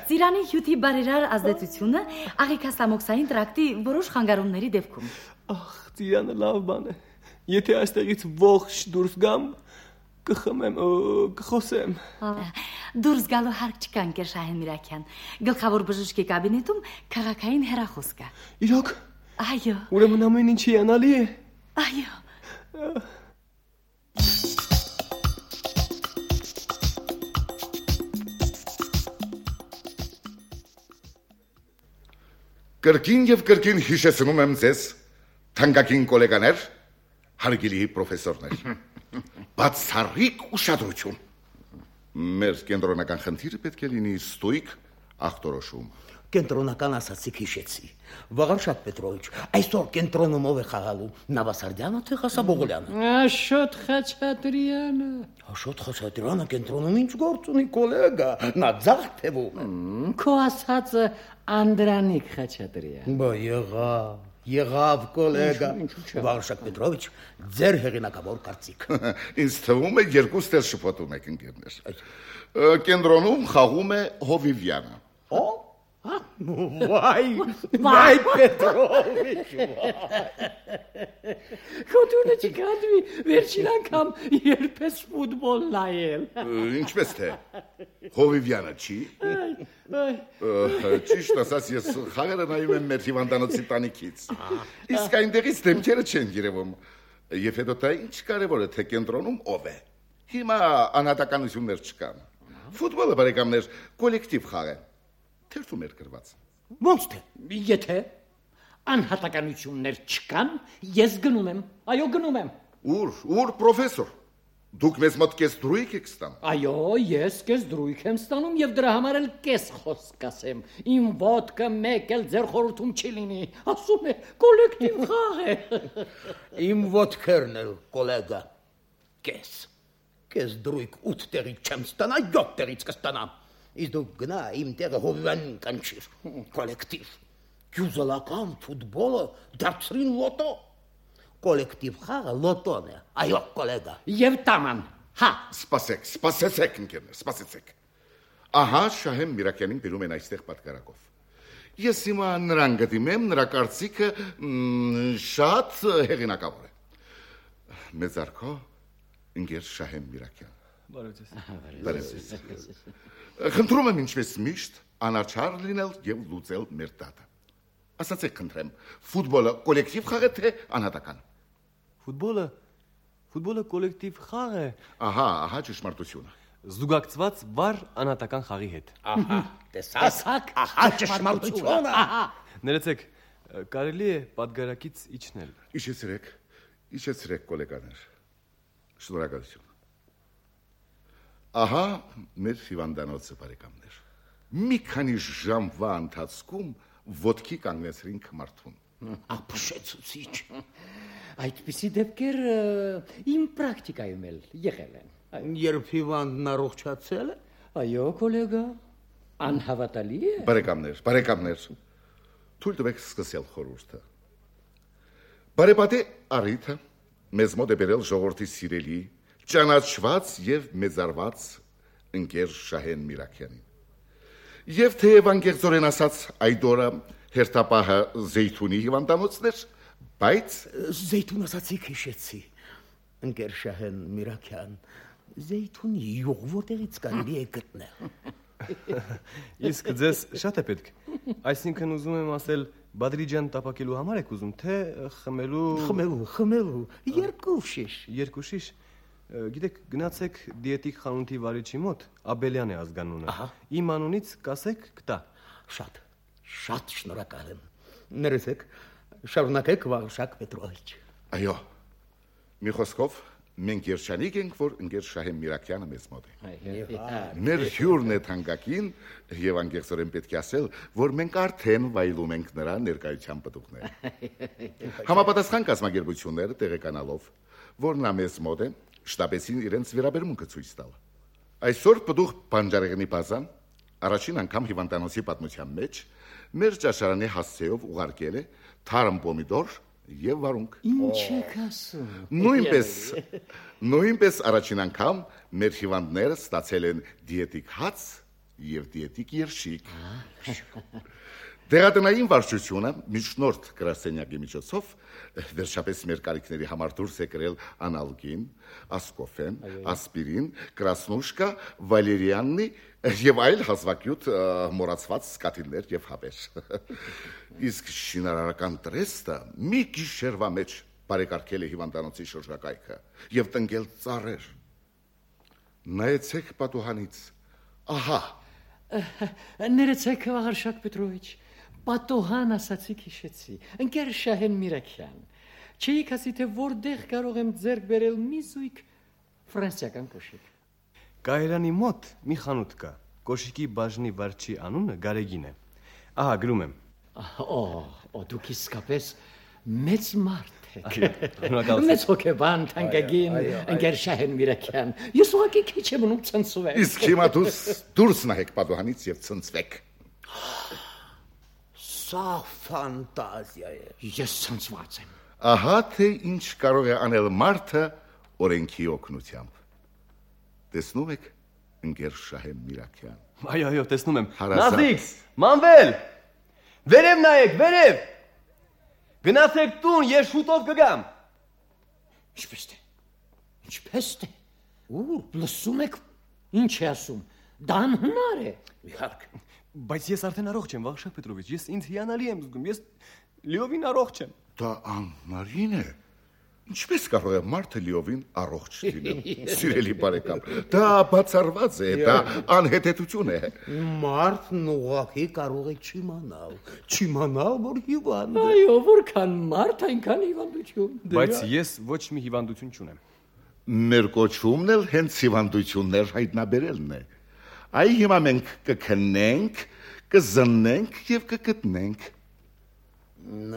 Ծիրանի հյութի բարերար ազդեցությունը աղիքասամոքսային տրակտի որոշ խանգարումների դեպքում։ Ախ, ծիրանը լավ բան է։ Եթե այստեղից ողջ դուրս գամ, կխմեմ, կխոսեմ։ Դուրս գալու հարկ չկա, ընկեր Շահեն Միրաքյան։ Գլխավոր բժշկի կաբինետում քաղաքային հեռախոս կա։ Իրոք։ Այո։ Ուրեմն ամեն ինչ հիանալի է։ Այո։ Կրկին եւ կրկին հիշեցնում եմ ձեզ, թանկագին գոլեգաներ, հարգելի պրոֆեսորներ։ Բացառիկ ուշադրություն։ Մեր կենտրոնական խնդիրը պետք է լինի ստույգ ախտորոշում։ Կենտրոնական ասացիք հիշեցի։ Վաղարշակ Պետրովիչ, այսօր կենտրոնում ով է խաղալու, Նավասարդյանը թե Ղասաբողոլյանը։ Աշոտ Խաչատրյանը։ Աշոտ Խաչատրյանը կենտրոնում ինչ գործ ունի, գոլեգա, նա ձախ թվում է։ Քո ասածը Անդրանիկ Խաչատրյան։ Բա եղավ գոլեգա։ Վաղարշակ Պետրովիչ, ձեր հեղինակավոր կարծիք։ Ինձ թվում է երկու ստեր շփոթում եք ընկերներ։ Կենտրոնում խաղում է Հովիվյանը։ Վայ Պետրովիչ։ Քոթունը չկատվի, վերջին անգամ երբես ֆուտբոլ նայել։ Ինչպես թե։ Հովիվյանը չի։ Ճիշտ ասած, ես խաղերը նայում եմ մեր հիվանդանոցի տանիքից։ Իսկ այնտեղից դեմքերը չեն երևում։ Եվ հետո դա ինչ կարևոր է, թե կենտրոնում ով է։ Հիմա անհատականություններ չկան։ Ֆուտբոլը բարեկամներ կոլեկտիվ խաղ է։ Թերթում էր գրված։ Ոնց թե։ Եթե անհատականություններ չկան, ես գնում եմ։ Այո, գնում եմ։ Ուր պրոֆեսոր։ Դուք մեզ մոտ կես դրույք եք ստանում։ Այո, ես կես դրույք եմ ստանում եւ դրա համար էլ կես խոսք ասեմ։ Իմ ոդկը մեկ էլ ձեր խորհրդում չի լինի։ Ասում է կոլեկտիվ խաղ է։ Իմ ոդքերն էլ, գոլեգա, կես դրույք 8 տեղից չեմ ստանա, 7 տեղից կստանամ։ Իսկ դու գնա իմ տեղը Հովիվյանին կանչիր, կոլեկտիվ, գյուզալական ֆուտբոլը դարձրին լոտո, կոլեկտիվ խաղը լոտոն է, այո կոլեգա։ Եվ տաման, հա։ Սպասեցեք ընկերներ, սպասեցեք։ Ահա Շահեն Միրաքյանին բերում են այստեղ պատգարակով։ Ես հիմա նրան գտիմեմ, նրա կարծիքը շատ հեղինակավոր է։ Մեծ արքո ընկեր Շահեն Միրաքյան։ Բարև ձեզ։ Խնդրում եմ ինչպես միշտ անաչառ լինել եւ լուծել մեր դատը։ Ասացեք խնդրեմ, ֆուտբոլը կոլեկտիվ խաղ է թե անհատական։ Ֆուտբոլը կոլեկտիվ խաղ է։ Ահա ճշմարտությունը։ Զուգակցված վառ անհատական խաղի հետ։ Ահա, տեսակ, ահա ճշմարտությունը։ Ներեցեք, կարելի է պատգարակից իջնել։ Իջեցրեք գոլեգաներ։ Շնորհակալություն։ Ահա մեր հիվանդանոցը բարեկամներ։ Մի քանի ժամվա ընթացքում ոտքի կանգնեցրինք մարդուն։ Ապշեցուցիչ։ Այդպիսի դեպքեր իմ պրակտիկայում էլ եղել են։ Երբ հիվանդն առողջացել է։ Այո, գոլեգա, անհավատալի է։ Բարեկամներ, թույլ տվեք սկսել խորհուրդը։ Բարեպատե առիթը մեզ մոտ է բերել ժողովրդի սիրելի, ճանաչված եւ մեծարված ընկեր Շահեն Միրաքյանին։ Եվ թեև անկեղծորեն ասած այդ օրը հերթապահը Զեյթունի հիվանդանոցն էր, բայց Զեյթուն ասացիք հիշեցի։ Ընկեր Շահեն Միրաքյան, Զեյթունի յուղ որտեղից կարելի է գտնել։ Իսկ ձեզ շատ է պետք։ Այսինքն ուզում եմ ասել, Բադրիջան տապակելու համար եք ուզում, թե խմելու, երկու շիշ։ Երկու շիշ։ Գիտեք, գնացեք դիետիկ խանութի վարիչի մոտ, Աբելյան է ազգանունը։ Իմ անունից կասեք կտա։ Շատ շնորհակալ եմ։ Ներեցեք, շարունակեք Վաղշակ Պետրովիչ։ Այո։ Մի խոսքով մենք երջանիկ ենք, որ ընկեր Շահեն Միրաքյանը մեզ մոտ է։ Մեր հյուրն է թանկագին եւ անկեղծորեն պետք է ասել, որ մենք արդեն վայելում ենք նրա ներկայության պտուղները։ Համապատասխան կազմակերպությունները տեղեկանալով, որ նա մեզ մոտ է, շտապեցին իրենց վերաբերմունքը ցույց տալ։ Այսօր պտուղ բանջարեղենի բազան առաջին անգամ հիվանդանոցի պատմության մեջ մեր ճաշարանի հասցեով ուղարկել է թարմ պոմիդոր եւ վարունգ։ Ինչ եք ասում։ Նույնպես առաջին անգամ մեր հիվանդները ստացել են դիետիկ հաց եւ դիետիկ երշիկ։ Դեղատնային վարչությունը միջնորդ գրասենյակի միջոցով վերջապես մեր կարիքների համար դուրս է կրել անալգին, ասկոֆեն, ասպիրին, կրասնուշկա, վալերիաննի եւ այլ հազվագյուտ մոռացված սկաթիլներ եւ հավեր։ Իսկ շինարարական տրեստը մի գիշերվա մեջ բարեկարգել է հիվանդանոցի շրջակայքը եւ տնկել ծառեր։ Նայեցեք պատուհանից։ Ահա։ Ներեցեք Վաղարշակ Պետրովիչ, պատուհան ասացիք հիշեցի, ընկեր Շահեն Միրաքյան, չէիք ասի, թե որտեղ կարող եմ ձեռք բերել մի զույգ ֆրանսիական կոշիկ։ Կայարանի մոտ մի խանութ կա, կոշիկի բաժնի վարչի անունը Գարեգին է։ Ահա գրում եմ։ Դուք իսկապես մեծ մարդ եք։ Շնորհակալ Մեծ հոգեբան, թանկագին, ընկեր Շահեն Միրաքյան, ես ուղղակի քիչ եմ մնում ցնցվել։ Իսկ հիմա դուրս նայեք պատուհանից եւ ցնցվեք։ Սա ֆանտազիա է։ Ես ցնցված եմ։ Ահա թե ինչ կարող է անել մարդը օրենքի օգնությամբ։ Տեսնում եք, ընկեր Շահեն Միրաքյան։ Այո, տեսնում եմ։ Հարազատ։ Նազիկ, մանվել։ Վերև նայեք, վերև։ Գնացեք տուն, ես շուտով կգամ։ Ինչպես թե։ Լսում եք, ինչ է ասում։ Դա անհնար է։ Իհարկե։ Բայց ես արդեն առողջ եմ, Վաղշակ Պետրովիչ, ես ինձ հիանալի եմ զգում, ես լիովին առողջ եմ։ Դա անհնարին է։ Ինչպես կարող է մարդը լիովին առողջ լինել։ Սիրելի բարեկամ, դա բացառված է, դա անհետեթություն է։ Մարդն ուղղակի կարող է չիմանալ, որ հիվանդ է։ Այո, որքան մարդ, այնքան հիվանդություն։ Բայց ես ոչ մի հիվանդություն չունեմ։ Մեր կոչումն էլ հենց հիվանդություններ հայտնաբերելն է։ Այ հիմա մենք կքնենք, կզննենք եւ կգտնենք։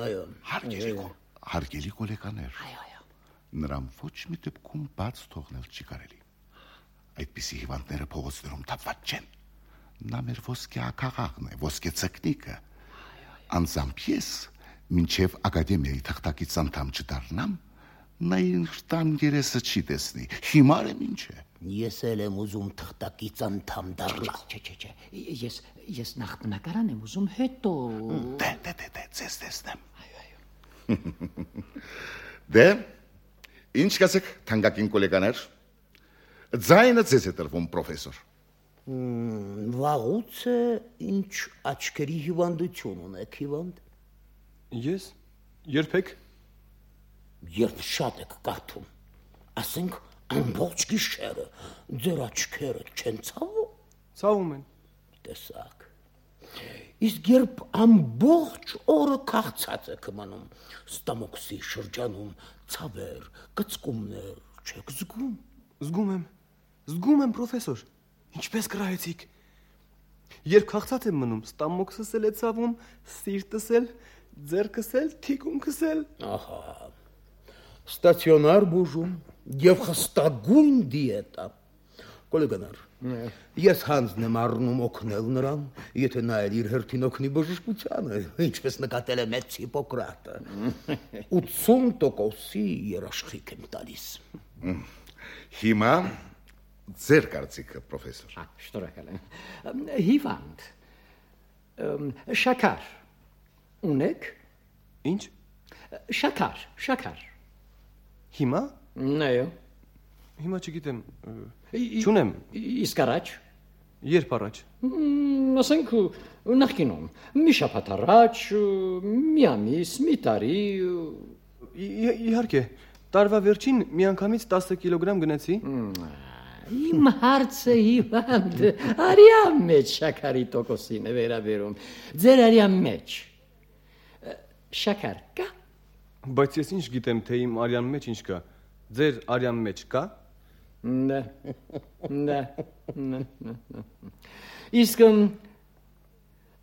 Այո։ Հարգելի գոլեկաներ։ Նրան ոչ մի դեպքում բաց թողնել չի կարելի։ Այդպիսի հիվանդները փողոցներում թափված չեն։ Նա մեր ոսկե ակաղաղն է, ոսկե ցկնիկը։ Անձամբ ես, մինչև ակադեմիայի թղթակից անդամ չդառնամ, նա ինձ տան երեսը չի տեսնի։ Հիմար եմ ինչ է։ Ես էլ եմ ուզում թղթակից անդամ դառնալ։ Չէ։ Ես նախ բնակարան եմ ուզում, հետո։ Ձեզ տեսնեմ։ Դե, ինչ կասեք, թանկագին գոլեկաներ։ Ձայնը ձեզ է տրվում, պրոֆեսոր։ Վաղուց է ինչ աչքերի հիվանդություն ունեք, հիվանդ։ Ես երբեք Երբ շատ եք կարդում, ասենք ամբողջ գիշերը ձեր աչքերը չեն ցավում։ Ցավում են։ Տեսակ։ Իսկ երբ ամբողջ օրը քաղցած եք մնում, ստամոքսի շրջանում ցավեր, կծկումներ չեք զգում։ Զգում եմ, պրոֆեսոր։ Ինչպես կրահեցիք։ Երբ քաղցած եմ մնում, ստամոքսս էլ է ցավում, սիրտս էլ, ձեռքս էլ, թիկունքս էլ։ Ահա։ Ստացիոնար բուժում եւ խստագույն դիետա։ Գոլեգանար, ես հանձն եմ առնում օգնել նրան, եթե նա էլ իր հերթին օգնի բժշկությանը, ինչպես նկատել է մեծ Հիպոկրատը։ 80% երաշխիք եմ տալիս։ Հիմա Ձեր կարծիքը, պրոֆեսոր։ Շնորհակալ եմ։ Հիվանդ։ Շաքար։ Ունեք։ Ինչ։ Շաքար։ Հիմա։ Այո։ Հիմա չգիտեմ։ Չունեմ։ Իսկ առաջ։ Երբ առաջ։ Ասենք նախկինում։ Մի շաբաթ առաջ, մի ամիս, մի տարի։ Իհարկե, տարվա վերջին միանգամից 10 կիլոգրամ գնեցի։ Իմ հարցը հիվանդ, արյան մեջ շաքարի տոկոսին է վերաբերում։ Ձեր արյան մեջ շաքար կա։ Բայց ես ինչ գիտեմ, թե իմ արյան մեջ ինչ կա։ Ձեր արյան մեջ կա։ Դա։ Իսկ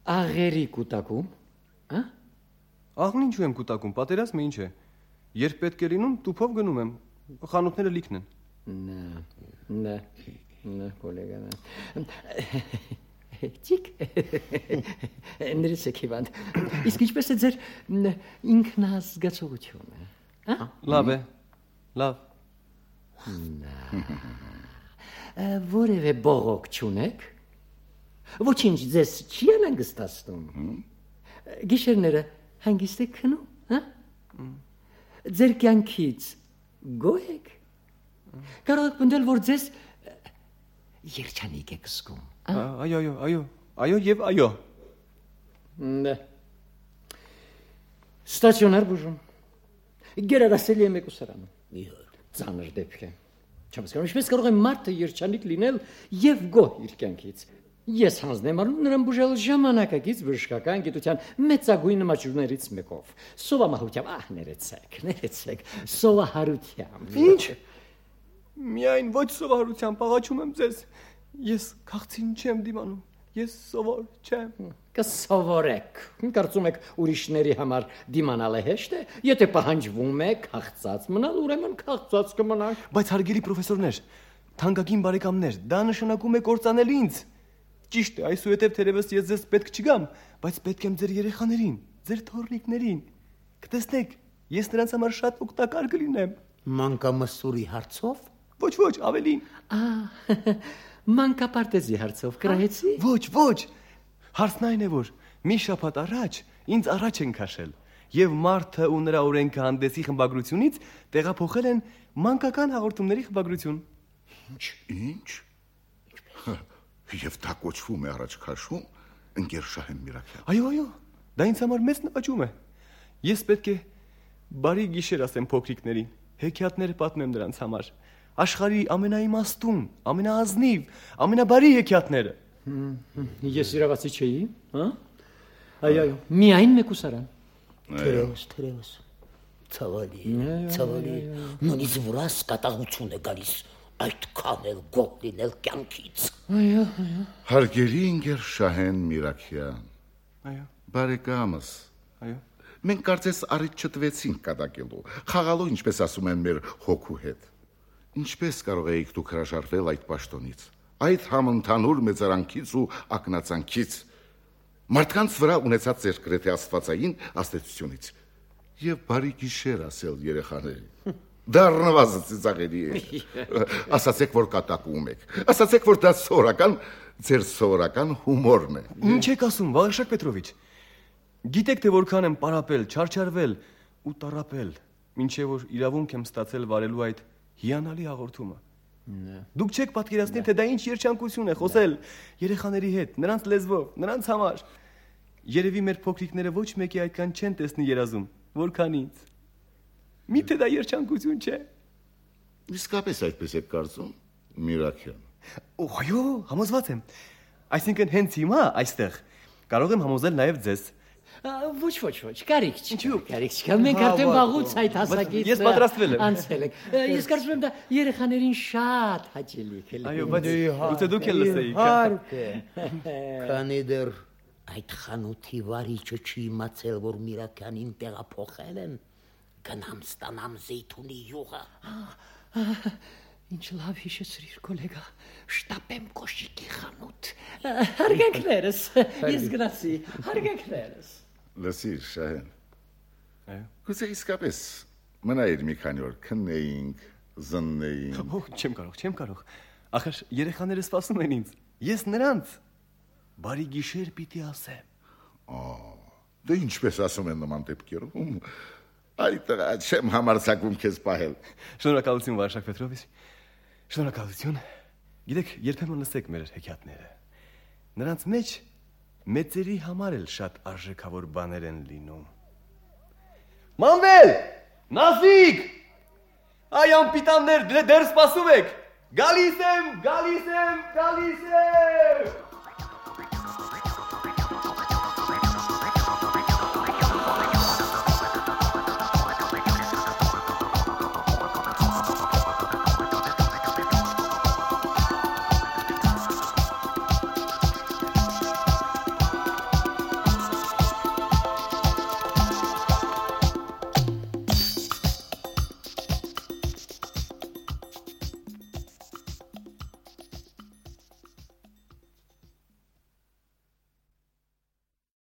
աղերի կուտակում, հա? Աղն ինչու եմ կուտակում, պատերազմը ինչ է։ Երբ պետք է լինում, տուփով գնում եմ։ Խանութները լիքն են։ Նա, կոլեգան։ Ճիկ։ Ներեցեք հիվանդ։ Իսկ ինչպես է ձեր ինքնազգացողությունը, հա? Լավ է։ Լավ։ Որևէ բողոք չունեք։ Ոչինչ ձեզ չի անհանգստացնում։ Գիշերները հանգիստ եք քնում, հա? Ձեր կյանքից գոհ եք։ Կարող եք պնդել, որ ձեզ երջանիկ եք զգում։ Այո եւ այո։ Ստացիոնար բուժում։ Գերադասելի է մեկուսարանում։ Ծանր դեպք է։ Չհասկանում, ինչպես կարող է մարդը երջանիկ լինել եւ գոհ իր կյանքից։ Ես հանձնեմ առնում նրան բուժել ժամանակակից բժշկական գիտության մեծագույն նմաճուրներից մեկով։ Սովամահությամբ, ներեցեք, սովահարությամբ։ Ինչ։ Միայն ոչ սովորությամբ, աղաչում եմ ձեզ։ Ես քաղցին չեմ դիմանում։ Ես սովոր չեմ։ Կսովորեք։ Կարծում եք ուրիշների համար դիմանալը հեշտ է։ Եթե պահանջվում է քաղցած մնալ, ուրեմն քաղցած կմնաք։ Բայց հարգելի պրոֆեսորներ, թանկագին բարեկամներ, դա նշանակում է կործանել ինձ։ Ճիշտ է, այսուհետև թերևս ես ձեզ պետք չգամ, բայց պետք եմ ձեր երեխաներին, ձեր թոռնիկներին։ Կտեսնեք, ես նրանց համար շատ օգտակար կլինեմ։ Մանկամսուրի հարցով։ Ոչ, ավելին։ Մանկապարտեզի հարցով կրահեցի։ Ոչ։ Հարցն այն է, որ մի շաբաթ առաջ ինձ առաջ են քաշել եւ մարդը ու նրա օրենքը հանդեսի խմբագրությունից տեղափոխել են մանկական հաղորդումների խմբագրություն։ Ինչ։ Եվ դա կոչվում է առաջ քաշում, ընկեր Շահեն Միրաքյան։ Այո, դա ինձ համար մեծ նվաճում է։ Ես պետք է բարի գիշեր ասեմ փոքրիկներին, հեքիաթներ պատմեմ նրանց համար։ Աշխարհի ամենաիմաստուն, ամենաազնիվ, ամենաբարի հեքիաթները։ Ես իրավացի չէի, հա? Այո, միայն մեկուսարան։ Թերևս։ Ցավալի։ Նույնիսկ վրաս կատաղություն է գալիս այդքան էլ գոհ լինել կյանքից։ Այո։ Հարգելի ընկեր Շահեն Միրաքյան։ Այո։ Բարեկամս։ Այո։ Մենք կարծես առիթ չտվեցինք կատակելու, խաղալու, ինչպես ասում են մեր հոգու հետ։ Ինչպես կարող էիք դուք հրաժարվել այդ պաշտոնից, այդ համընդհանուր մեծարանքից ու ակնածանքից, մարդկանց վրա ունեցած ձեր գրեթե աստվածային ազդեցությունից եւ բարի գիշեր ասել երեխաներին։ Դառնված ծիծաղելի է։ Ասացեք, որ կատակում եք։ Ասացեք, որ դա ձեր սովորական հումորն է։ Ինչ եք ասում, Վաղարշակ Պետրովիչ։ Գիտեք, թե որքան եմ պարապել, չարչարվել ու տառապել, մինչև որ իրավունք եմ ստացել վարելու այդ հիանալի հաղորդումը։ Դուք չեք պատկերացնի, թե դա ինչ երջանկություն է խոսել երեխաների հետ, նրանց լեզվով, նրանց համար։ Երևի մեր փոքրիկները ոչ մեկի այդքան չեն տեսնի երազում, որքան ինձ։ Միթե դա երջանկություն չէ։ Իսկապես այդպես եք կարծում, Միրաքյան։ Այո, համոզված եմ։ Այսինքն հենց հիմա այստեղ կարող եմ համոզել նաև ձեզ։ Ոչ, կարիք չկա։ Մենք արդեն վաղուց այդ հասակից ես պատրաստվել եմ։ Անցել ենք։ Ես կարծում եմ դա երեխաներին շատ հաճելի կլինի։ Այո, բայց ուտե դուք էլ լսեիք։ Իհարկե։ Քանի դեռ այդ խանութի վարիչը չի իմացել, որ Միրաքյանին տեղափոխել են, գնամ ստանամ զեյթունի յուղը։ Ինչ լավ հիշեցրիր, գոլեգա, շտապեմ կոշիկի խանութ։ Հարգանքներս, ես գնացի, հարգանքներս։ Լսիր, Շահեն։ Այո։ Գուցե իսկապես մնայր մի քանի օր քննեինք, զննեինք։ Չեմ կարող։ Ախր երեխաները սպասում են ինձ։ Ես նրանց բարի գիշեր պիտի ասեմ։ Դե ինչպես ասում են նման դեպքերում։ Այ տղա, չեմ համարձակվում քեզ պահել։ Շնորհակալություն Վարշակ Պետրովիչ։ Շնորհակալություն։ Գիտեք, երբեմն լսեք մեր հեքիաթները։ Նրանց մեջ մեծերի համար էլ շատ արժեքավոր բաներ են լինում։ Մանվել! Նազիկ! Այ անպիտաններ, դեռ սպասում եք։ Գալիս եմ։